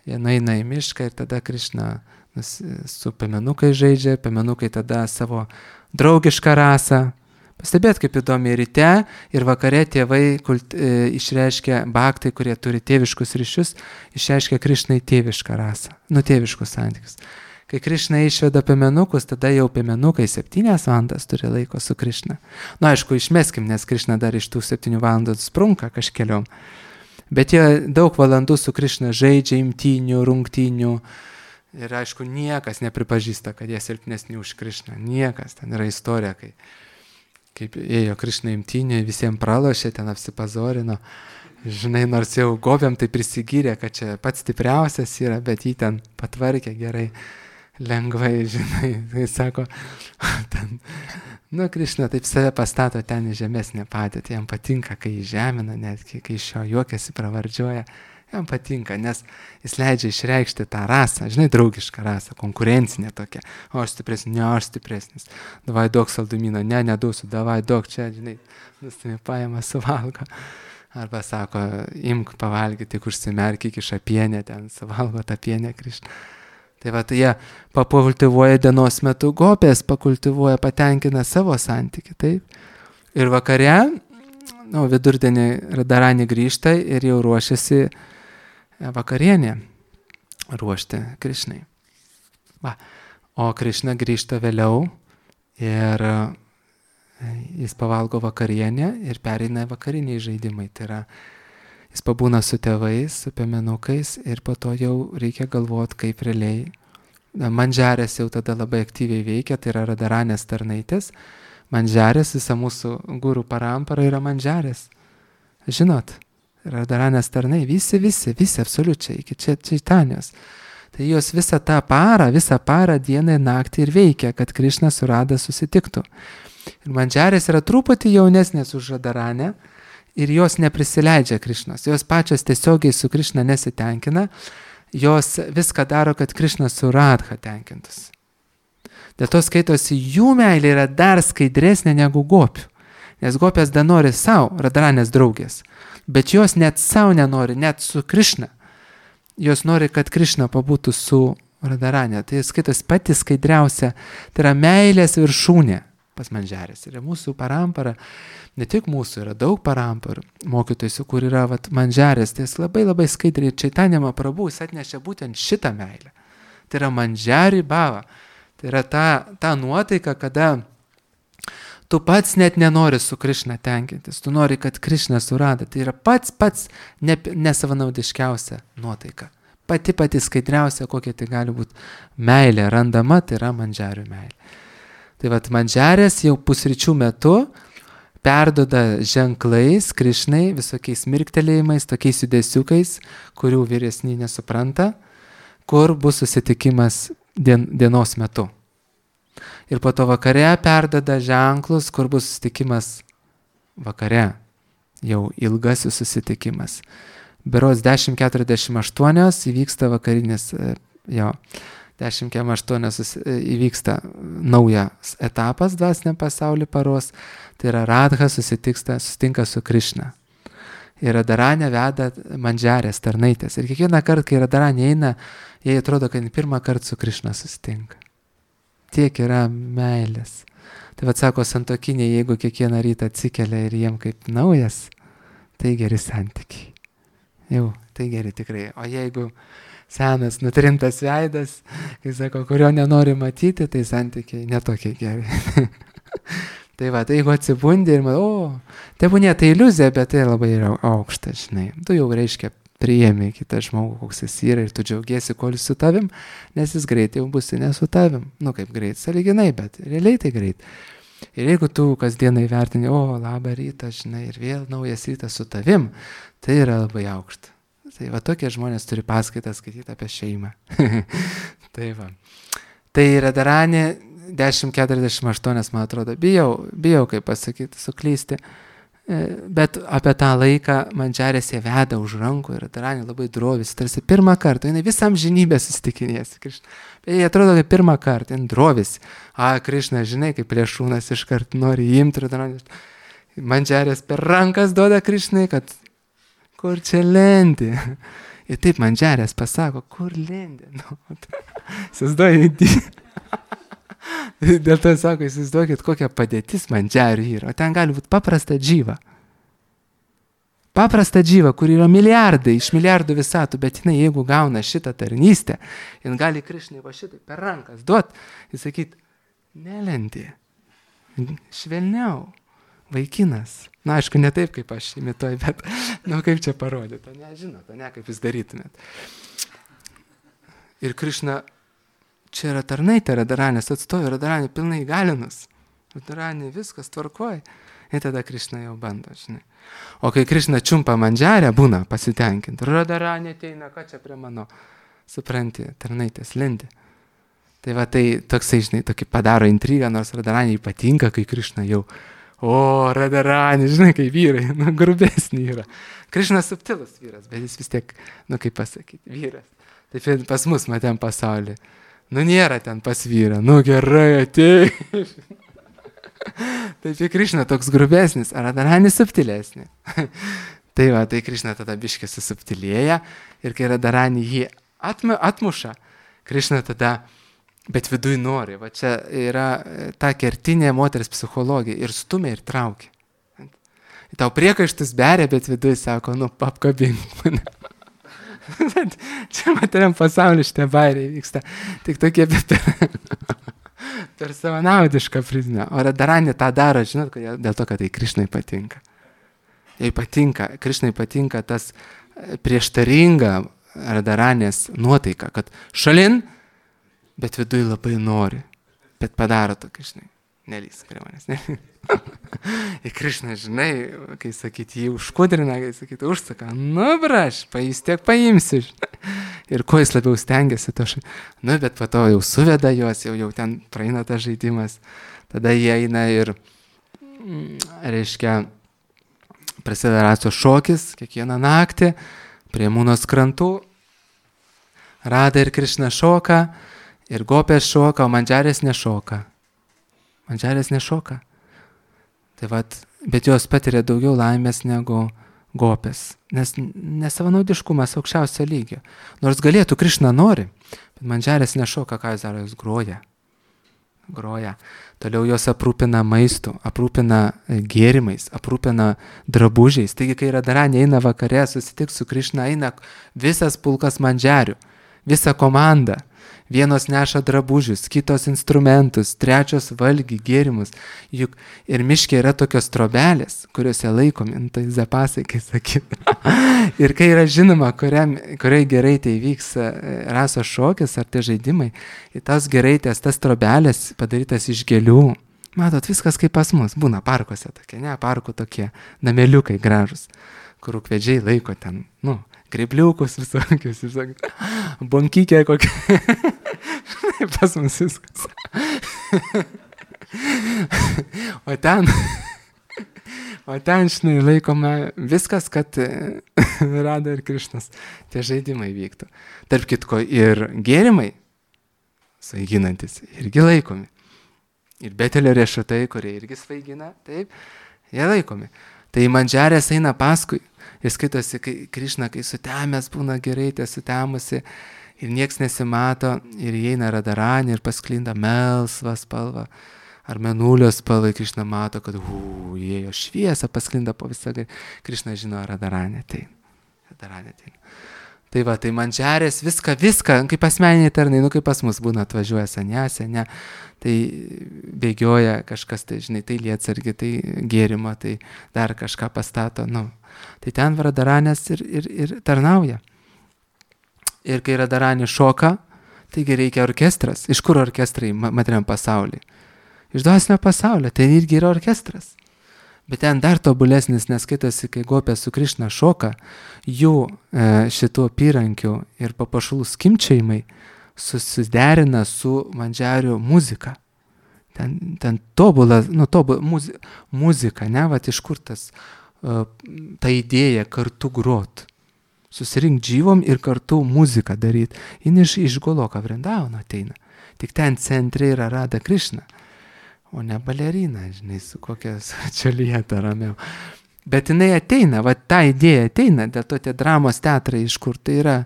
jie nueina į mišką ir tada Krišna su piemenukai žaidžia, piemenukai tada savo draugišką rasą. Pastebėt, kaip įdomi ryte ir vakare tėvai kult, e, išreiškia bhaktai, kurie turi tėviškus ryšius, išreiškia Krišnai tėvišką rasą, nu tėviškus santykius. Kai Krišna išveda piemenukus, tada jau piemenukai septynias valandas turi laiko su Krišna. Nu aišku, išmeskim, nes Krišna dar iš tų septynių valandų sprunka kažkeliom. Bet jie daug valandų su Krišna žaidžia imtynių, rungtynių. Ir aišku, niekas nepripažįsta, kad jie silpnesni už Krišną. Niekas, ten yra istorija, kai kaip ėjo Krišna imtynė, visiems pralošė, ten apsipazorino. Žinai, nors jau gobėm tai prisigyrė, kad čia pats stipriausias yra, bet jį ten patvarkė gerai, lengvai, žinai. Tai sako, ten, nu, Krišna taip save pastato ten į žemesnę padėtį. Jam patinka, kai jį žemina, netgi kai iš jo juokiasi, pravardžiuoja. Jam patinka, nes jis leidžia išreikšti tą rasą, žinai, draugišką rasą, konkurencinę tokią. O aš stipresnis, ne, aš stipresnis. Davai duok saldumyną, ne, neduosiu, davai duok čia, žinai, nustami paima, suvalgo. Arba sako, imk pavalgyti, tik užsimerk iki šapienę, ten suvalgo tą pienę Krišną. Tai va, tai jie pakultivuoja dienos metu gopės, pakultivuoja, patenkina savo santykį, taip. Ir vakare, nu, vidurdienį Radaranį grįžta ir jau ruošiasi vakarienė ruošti Krišnai. Va. O Krišna grįžta vėliau ir jis pavalgo vakarienę ir pereina vakariniai žaidimai. Tai yra, jis pabūna su tėvais, su piemenukais ir po to jau reikia galvoti, kaip realiai. Mandžarės jau tada labai aktyviai veikia, tai yra Radaranės tarnaitės. Mandžarės, visa mūsų gurų parampara yra mandžarės. Žinot, Radaranės tarnai, visi, visi, visi, absoliučiai, iki čia Čaitanijos. Tai jos visą tą parą, visą parą, dieną ir naktį ir veikia, kad Krišna su Rada susitiktų. Ir mandžarės yra truputį jaunesnės už Radaranę ir jos neprisileidžia Krišnos. Jos pačios tiesiogiai su Krišna nesitenkina, jos viską daro, kad Krišna su Radha tenkintųsi. Dėl to skaitosi, jų meilė yra dar skaidresnė negu gopių. Nes gopės dar nori savo, Radaranės draugės. Bet jos net savo nenori, net su Krišna. Jos nori, kad Krišna pabūtų su Radaranė. Tai skaitos pati skaidriausia, tai yra meilės viršūnė. pas Mandžiarės. Ir mūsų parampara, ne tik mūsų, yra daug paramparų mokytojų, kur yra vat, Mandžiarės. Tai jis labai labai skaidriai Čaitanija Mahaprabhu jis atnešė būtent šitą meilę. Tai yra Mandžiari Bhava. Tai yra ta, ta nuotaika, kada tu pats net nenori su Krišna tenkintis. Tu nori, kad Krišna surada. Tai yra pats pats ne, nesavanaudiškiausia nuotaika. Pati pati skaidriausia, kokia tai gali būti meilė randama, tai yra Mandžiarių meilė. Tai vat Mandžiarės jau pusryčių metu perduoda ženklais Krišnai, visokiais mirktelėjimais, tokiais judesiukais, kurių vyresni nesupranta, kur bus susitikimas dien, dienos metu. Ir po to vakare perduoda ženklus, kur bus susitikimas vakare, jau ilgasis susitikimas. Berods dešimt keturiasdešimt aštuoni įvyksta vakarinis, jo, dešimt keturiasdešimt aštuoni įvyksta naujas etapas dvasiniam pasauly paros, tai yra Radha susitiksta, susitinka su Krišna. Ir Radharanė veda Mandžiarės tarnaitės. Ir kiekvieną kartą, kai Radharanė eina, jai atrodo, kad pirmą kartą su Krišna susitinka. Tiek yra meilės. Tai vad sako santokiniai, jeigu kiekvieną rytą atsikelia ir jiem kaip naujas, tai geri santykiai. Jau, tai geri tikrai. O jeigu senas, nutrintas veidas, kai sako, kurio nenori matyti, tai santykiai netokie geri. Tai va, tai jeigu atsibundi ir matau, o, tai būnė tai iliuzija, bet tai labai yra aukšta, žinai. Tu jau reiškia priėmė kitą žmogų, koks jis yra ir tu džiaugiesi, kol jis su tavim, nes jis greitai jau bus ne su tavim. Nu kaip greit, sąlyginai, bet realiai tai greit. Ir jeigu tu kasdieną įvertini, o, labą rytą, žinai, ir vėl naujas rytas su tavim, tai yra labai aukšta. Tai va tokie žmonės turi paskaitą skaityti apie šeimą. Tai va. Tai Radharanė dešimt keturiasdešimt aštuoni, man atrodo, bijau, bijau, kaip pasakyti, suklysti. Bet apie tą laiką Mandžiarės jie veda už rankų ir Radharanė labai drovis, tarsi pirmą kartą, jinai visą amžinybę susitikinės. Jie atrodo, kaip pirmą kartą, jinai drovis. A, Krišna, žinai, kaip plėšūnas iškart nori imti Radharanė. Mandžiarės per rankas duoda Krišnai, kad kur čia lendi. Ir taip Mandžiarės pasako, kur lendi. Nu, įsivaizduoju, dėl to sako, įsivaizduokit, kokia padėtis Mandžiarių yra. O ten gali būti paprasta džyva. Paprasta džyva, kur yra milijardai, iš milijardų visatų, bet jinai, jeigu gauna šitą tarnystę, jin gali Krišnai va šitai per rankas duot ir sakyt, nelendi, švelniau, vaikinas. Na, aišku, ne taip, kaip aš imituoju, bet, nu, kaip čia parodyti, o ne, žinot, o ne, kaip jūs darytumėt. Ir Krišna, čia yra tarnaitė Radharanės atstovė, Radharanė pilnai įgalinus. Radharanė viskas tvarkoja. Ir tada Krišna jau bando, žinai. O kai Krišna čiumpa Mandžiarę, būna pasitenkinti. Radharanė ateina, ką čia prie mano, supranti, tarnaitės lendi. Tai va, tai toksai, žinai, tokį padaro intrigą, nors Radharanė patinka, kai Krišna jau, o, Radharanė, žinai, kai vyrai, nu, grubesnį yra. Krišna subtilus vyras, bet jis vis tiek, nu, kaip pasakyti, vyras. Taip pas mus matėm pasaulį. Nu, nėra ten pas vyrą, nu, gerai, atei. Taip, Krišna toks grubesnis, ar Radharanė subtilesnė. Tai va, tai Krišna tada biškį susubtilėja ir kai Radharanė jį atmu, atmuša, Krišna tada, bet viduj nori. Va čia yra ta kertinė moters psichologija ir stumia ir traukia. Tau priekaištus beria, bet viduj sako, nu, apkabink mane. Čia materiam pasaulyje šitie bairiai vyksta. Tik tokie, bet per, per savanaudišką prizmę. O Radharanė tą daro, žinot, dėl to, kad tai Krišnai patinka. Jai patinka, Krišnai patinka tas prieštaringa Radharanės nuotaika, kad šalin, bet viduj labai nori. Bet padaro tokį, žinai, nelys prie manęs, ne? Ir Krišna, žinai, kai sakyti, jį užkudrina, kai sakyti, užsaka, nu, braš, jis tiek paimsi, žinai. Ir kuo jis labiau stengiasi, to šai, nu, bet po to jau suveda juos, jau, jau ten praeina tas žaidimas. Tada jie eina ir, reiškia, prasideda racijos šokis kiekvieną naktį, prie Mūnos krantų. Rada ir Krišna šoka, ir Gopės šoka, o Mandžiarės nešoka. Mandžiarės nešoka. Tai vat, bet jos patiria daugiau laimės negu Gopės, nes nesavanaudiškumas aukščiausio lygio. Nors galėtų, Krišna nori, bet Mandžiarės nešoka, ką jis daro, jis groja. groja. Toliau jos aprūpina maistu, aprūpina gėrimais, aprūpina drabužiais. Taigi, kai Radharani eina vakare, susitiks su Krišna, eina visas pulkas mandžiarių, visa komanda. Vienos neša drabužius, kitos instrumentus, trečios valgį, gėrimus. Juk ir miške yra tokios trobelės, kuriuose laikomi, nu, tai zapasai, kai sakyt. Ir kai yra žinoma, kuriam, kuriai gerai tai vyks rasos šokis ar tie žaidimai, į tas geraitės, tas trobelės padarytas iš gėlių. Matot, viskas kaip pas mus, būna parkuose tokie, ne, parkų tokie nameliukai gražus, kur ukvedžiai laiko ten, nu, grebliukus visokius, visokius, bonkykė kokia. Pas mus viskas. O ten, o ten, žinai, laikoma viskas, kad Rada ir Krišnas tie žaidimai vyktų. Tarp kitko ir gėrimai, svaiginantis, irgi laikomi. Ir Betelio riešutai, kurie irgi svaigina, taip, jie laikomi. Tai mandžiarės eina paskui. Ir skaitosi, kai Krišna, kai sutemęs būna gerai, tie sutemusi ir nieks nesimato ir įeina Radharani ir pasklinda melsva spalva ar menulio spalva, Krišna mato, kad uu, įėjo šviesa, pasklinda po visą, Krišna žino Radharani ateina. Radharani ateina. Tai va, tai mandžiarės viską, viską, kaip asmeniniai tarnai, nu kaip pas mus būna, atvažiuoja senėse, ne, tai bėgioja kažkas, tai žinai, tai lietsargi, tai gėrimo, tai dar kažką pastato, nu. Tai ten Radharanės ir, ir, ir tarnauja. Ir kai Radharani šoka, taigi reikia orkestras. Iš kur orkestrai materiam pasaulyje? Iš dvasinio pasaulio, tai irgi yra orkestras. Bet ten dar tobulesnis, nes skaitosi, kai gopė su Krišna šoka, jų e, šitų apyrankių ir papuošalų skimbčiojimai susiderina su mandžiarių muzika. Ten, ten tobula, nu, tobula muzi, muzika, ne, vat iš kur tas, uh, ta idėja kartu grot. Susirink džyvom ir kartu muziką daryti. Jis iš, iš Goloka Vrindavano ateina. Tik ten centre yra Rada Krišna, o ne balerina, žinai, su kokia čelieta ramiau. Bet jinai ateina, va ta idėja ateina, dėl to tie dramos teatrai, iš kur tai yra,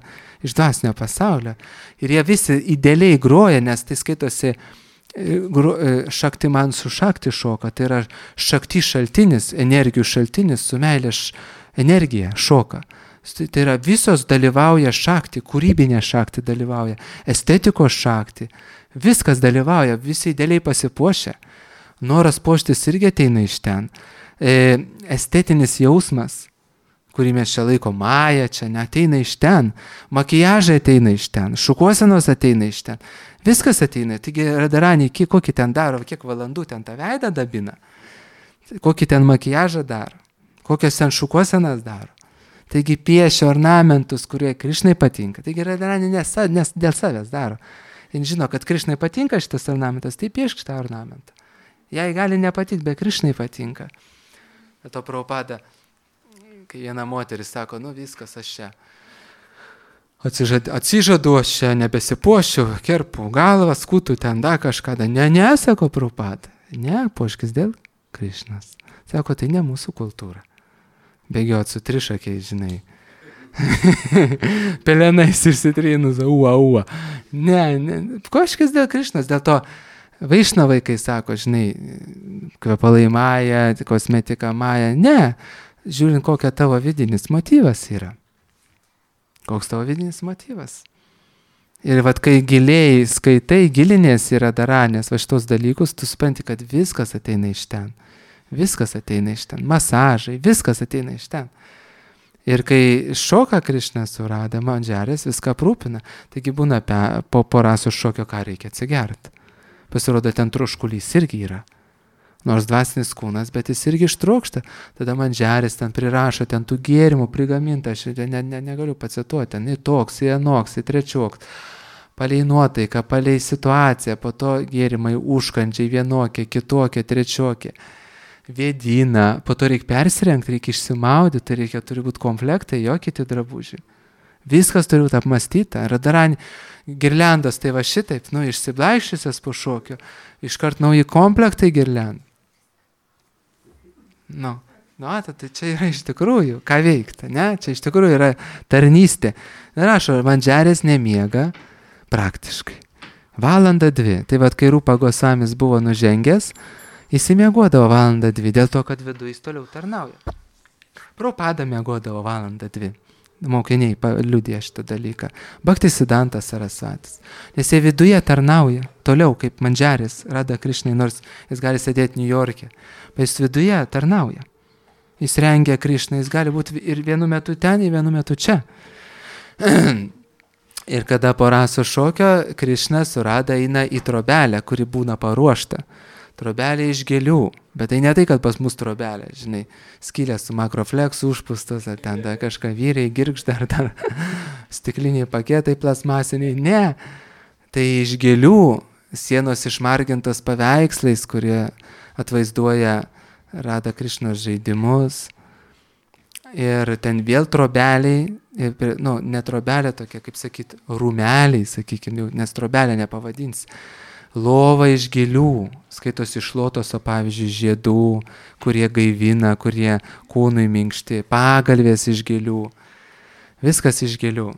iš dvasinio pasaulio. Ir jie visi idealiai groja, nes tai skaitosi šakti man su šakti šoka, tai yra šakti šaltinis, energijų šaltinis su meilės energija šoka. Tai yra visos dalyvauja šakti, kūrybinė šakti dalyvauja, estetikos šakti, viskas dalyvauja, visi idealiai pasipuošia. Noras puoštis irgi ateina iš ten. E, estetinis jausmas, kurį mes čia laiko maja, čia neateina iš ten. Makijažai ateina iš ten, šukuosenos ateina iš ten. Viskas ateina. Taigi Radharani, kokį ten daro, kiek valandų ten tą veidą dabina, kokį ten makijažą daro, kokias ten šukuosenas daro. Taigi piešia ornamentus, kurie Krišnai patinka. Taigi Radharani nes, nes dėl savęs daro. Jis žino, kad Krišnai patinka šitas ornamentas, tai piešk šitą ornamentą. Jai gali nepatikti, bet Krišnai patinka. Bet to Prabhupada, kai viena moteris sako, nu viskas, aš čia atsižadu, atsižadu aš čia nebesipuošiu, kerpu galvą, skutų ten da kažką. Ne, ne, sako Prabhupada, ne, puoškis dėl Krišnos. Sako, tai ne mūsų kultūra. Bėgiot su trišakiais, žinai. Pelenais išsitrynus, ua, ua. Ne, ne, puoškis dėl Krišnos, dėl to Vaišnavai, kai sako, žinai, kvepalai maja, kosmetika maja. Ne, žiūrint, kokia tavo vidinis motyvas yra. Koks tavo vidinis motyvas. Ir vat, kai giliai skaitai, gilinės yra Radharanės va šitos dalykus, tu supranti, kad viskas ateina iš ten. Viskas ateina iš ten. Masažai, viskas ateina iš ten. Ir kai šoka Krišna su Rada, mandžiarės viską aprūpina. Taigi būna pe, po porasų šokio, ką reikia atsigerti. Pasirodo, ten troškulys irgi yra. Nors dvasinis kūnas, bet jis irgi ištrokšta. Tada mandžiarės ten prirašo, ten tų gėrimų prigaminta, aš ne, ne, negaliu pacituoti, ten į toks, į anoks, į trečioks. Palei nuotaiką, palei situaciją, po to gėrimai užkandžiai vienokie, kitokie, trečiokie. Vėdina, po to reikia persirengti, reikia išsimaudyti, tai reikia, turi būti komplektai, jo kiti drabužiai. Viskas turi būti apmastyta. Radharani girliandas, tai va šitaip, nu, išsiblaikščiusias po šokio, iškart nauji komplektai girliandų. Nu, nu, tai čia yra iš tikrųjų, ką veikti, ne? Čia iš tikrųjų yra tarnystė. Rašo, mandžiarės nemiega praktiškai. Valandą dvi. Tai vad, kai Rūpa Gosamis buvo nužengęs, jis miegodavo valandą dvi, dėl to, kad viduje jis toliau tarnauja. Prabhupada miegodavo valandą dvi. Mokiniai liudija šitą dalyką. Bhaktisiddhantas Sarasvatis. Nes jie viduje tarnauja, toliau kaip Mandžaris, Radha Krišnai, nors jis gali sėdėti New York'e, bet jis viduje tarnauja. Jis rengia Krišną, jis gali būti ir vienu metu ten, ir vienu metu čia. Ir kada po raso šokio Krišna su Radha eina į trobelę, kuri būna paruošta. Trobelė iš gėlių, bet tai ne tai, kad pas mus trobelė, žinai, skylės su makrofleksu užpustos, ar ten dar kažką vyriai girgžda, ar dar stikliniai paketai plasmasiniai. Ne, tai iš gėlių, sienos išmargintos paveikslais, kurie atvaizduoja Radha Krišnos žaidimus. Ir ten vėl trobeliai, nu, ne trobelė tokia, kaip sakyt, rūmeliai, sakykime, nes trobelė nepavadins. Lova iš gėlių, skaitosi iš lotoso, pavyzdžiui, žiedų, kurie gaivina, kurie kūnui minkšti, pagalvės iš gėlių, viskas iš gėlių.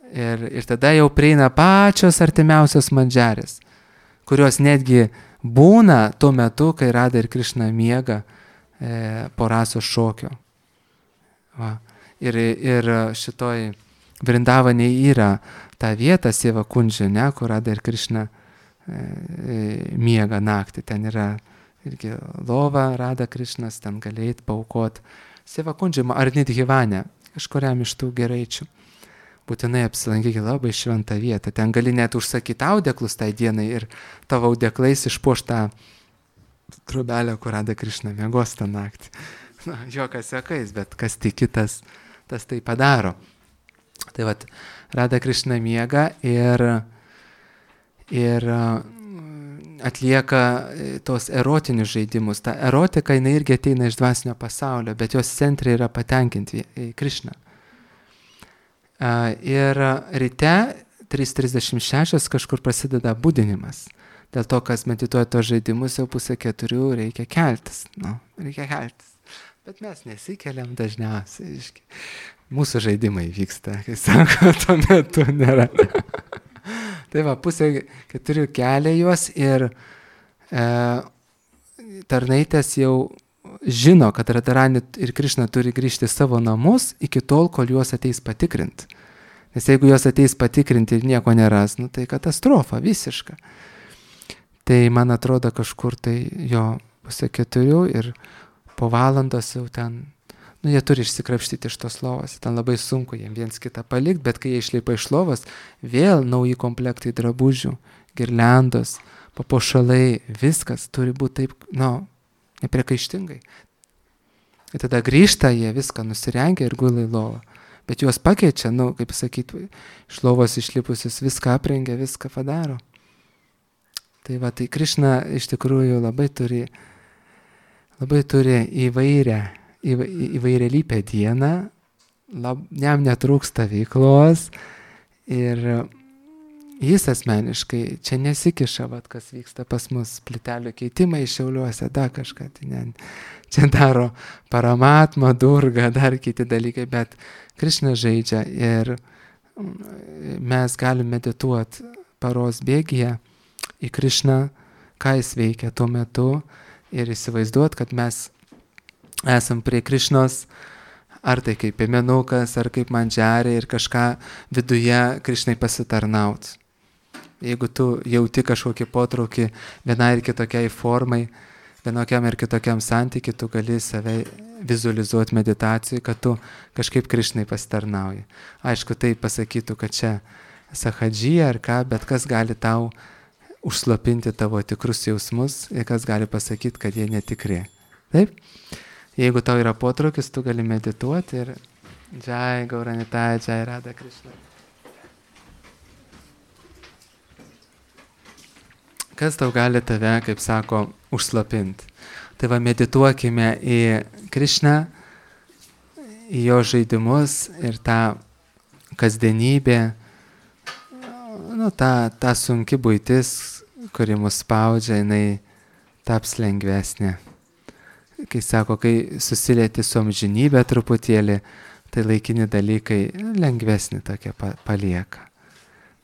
Ir, ir tada jau prieina pačios artimiausios Mandžarės, kurios netgi būna tuo metu, kai Radha ir Krišna miega e, po raso šokio. Va. Ir, ir šitoj Vrindavane yra ta vieta Seva Kundžė, ne, kur Radha ir Krišna miega naktį, ten yra irgi lova, Radha Krišnas, ten galėjai paaukoti. Seva Kundžė ar Nidhivane, kažkuriam iš tų geraičių. Būtinai apsilankykite, labai šventą vietą. Ten gali net užsakyti audeklus tai dienai ir tavo audeklais išpuoštą trobelę, kur Radha Krišna miegos tą naktį. Na, jokas juokais, bet kas tiki, tas, tas tai padaro. Tai vat, Radha Krišna miega ir ir atlieka tos erotinius žaidimus. Ta erotika, jinai irgi ateina iš dvasinio pasaulio, bet jos centrai yra patenkinti į Krišną. Ir ryte trys trisdešimt šešios kažkur prasideda budinimas. Dėl to, kas medituoja tos žaidimus, jau pusę keturių reikia keltis. Nu, reikia keltis. Bet mes nesikeliam dažniausiai. Mūsų žaidimai vyksta, kai sako, tuo metu nėra. Tai va, pusė keturių kelia juos ir e, tarnaitės jau žino, kad Radharani ir Krišna turi grįžti savo namus iki tol, kol juos ateis patikrinti. Nes jeigu juos ateis patikrinti ir nieko neras, nu, tai katastrofa visiška. Tai man atrodo kažkur tai jo pusė keturių ir po valandos jau ten, nu, jie turi išsikrapštyti iš tos lovos, ten labai sunku jiems viens kitą palikti, bet kai jie išleipa iš lovos, vėl nauji komplektai drabužių, girliandos, papuošalai, viskas turi būti taip, nu, nepriekaištingai. Ir tada grįžta jie, viską nusirengia ir gula į lovą. Bet juos pakeičia, nu, kaip sakyti, iš lovos išlipusius viską aprengia, viską padaro. Tai va, tai Krišna iš tikrųjų labai turi, labai turi įvairią, įvairialypę dieną, lab, jam netrūksta veiklos ir jis asmeniškai čia nesikiša, vat, kas vyksta pas mus, plytelių keitimai Šiauliuose, da kažką, tai ne, čia daro Paramatma, Durga, dar kiti dalykai, bet Krišna žaidžia ir mes galime medituoti paros bėgyje į Krišną, ką jis veikia tuo metu ir įsivaizduoti, kad mes esam prie Krišnos, ar tai kaip piemenukas, ar kaip Mandžarė ir kažką viduje Krišnai pasitarnaut. Jeigu tu jauti kažkokį potraukį vienai ir kitokiai formai, vienokiam ir kitokiam santykiui, tu gali save vizualizuoti meditacijai, kad tu kažkaip Krišnai pasitarnauji. Aišku, tai pasakytų, kad čia sahadžija ar ką, bet kas gali tau užslopinti tavo tikrus jausmus ir kas gali pasakyti, kad jie netikri. Taip? Jeigu tau yra potraukis, tu gali medituoti ir Jai Gauranitai, Jai Radha Krišna. Kas tau gali tave, kaip sako, užslopinti? Tai va, medituokime į Krišną, į jo žaidimus ir tą kasdienybę, nu, ta, ta sunki buitis, kuri mus spaudžia, jinai taps lengvesnė. Kai sako, kai susilieti su amžinybė truputėlį, tai laikini dalykai lengvesni tokie palieka.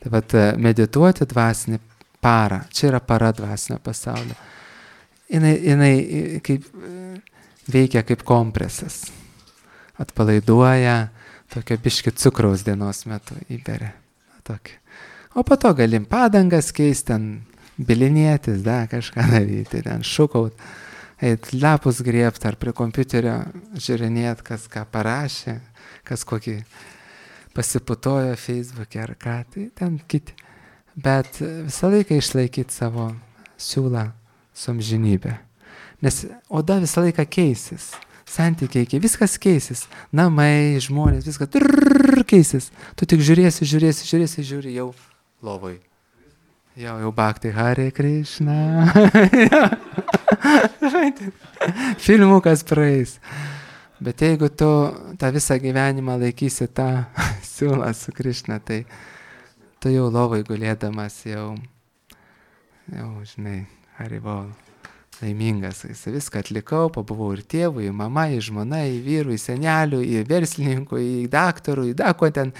Tai vat medituoti dvasinį parą. Čia yra para dvasinio pasaulio. Jinai, jinai kaip, veikia kaip kompresas. Atpalaiduoja, tokio biški cukraus dienos metu įberia. Tokį. O po to galim padangas keisti, ten bilinėtis, da, kažką daryti, ten šukaut, eit lapus griebt ar prie kompiuterio žiūrinėt, kas ką parašė, kas kokį pasiputojo Facebook'e ar ką, tai ten kiti. Bet visą laiką išlaikyti savo siūlą su amžinybė. Nes oda visą laiką keisis, santykiai, viskas keisis, namai, žmonės, viskas trrrr, keisis. Tu tik žiūrėsi, žiūrėsi, žiūrėsi, žiūri jau lovoj. Jau, jau Bhakti Hare Krishna. Filmukas praeis. Bet jeigu tu tą visą gyvenimą laikysi tą siūlą su Krishna, tai tu jau lovai gulėdamas jau, jau, žinai, Haribol, laimingas. Viską atlikau, pabuvau ir tėvui, į mamą, į žmoną, į vyrų, į senelių, į verslininkų, į daktarų, į dako ten,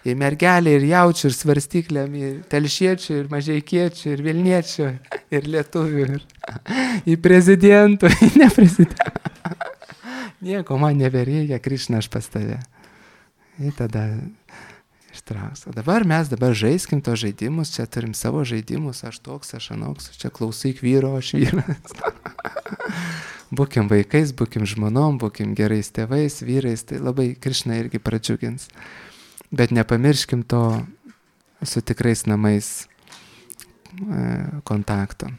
į mergelį, ir jaučių, ir svarstyklėm, į telšiečių, ir mažeikiečių, ir vilniečių, ir lietuvių, ir į prezidentų, į neprezidentų. Nieko man nebereikia, Krishna, aš pas tave. Ir tada ištrauks. O dabar mes dabar žaiskim tos žaidimus, čia turim savo žaidimus, aš toks, aš anoks, čia klausyk vyro, aš vyras. Būkim vaikais, būkim žmonom, būkim gerais tėvais, vyrais, tai labai Krishna irgi pradžiugins. Bet nepamirškim to su tikrais namais e, kontakto.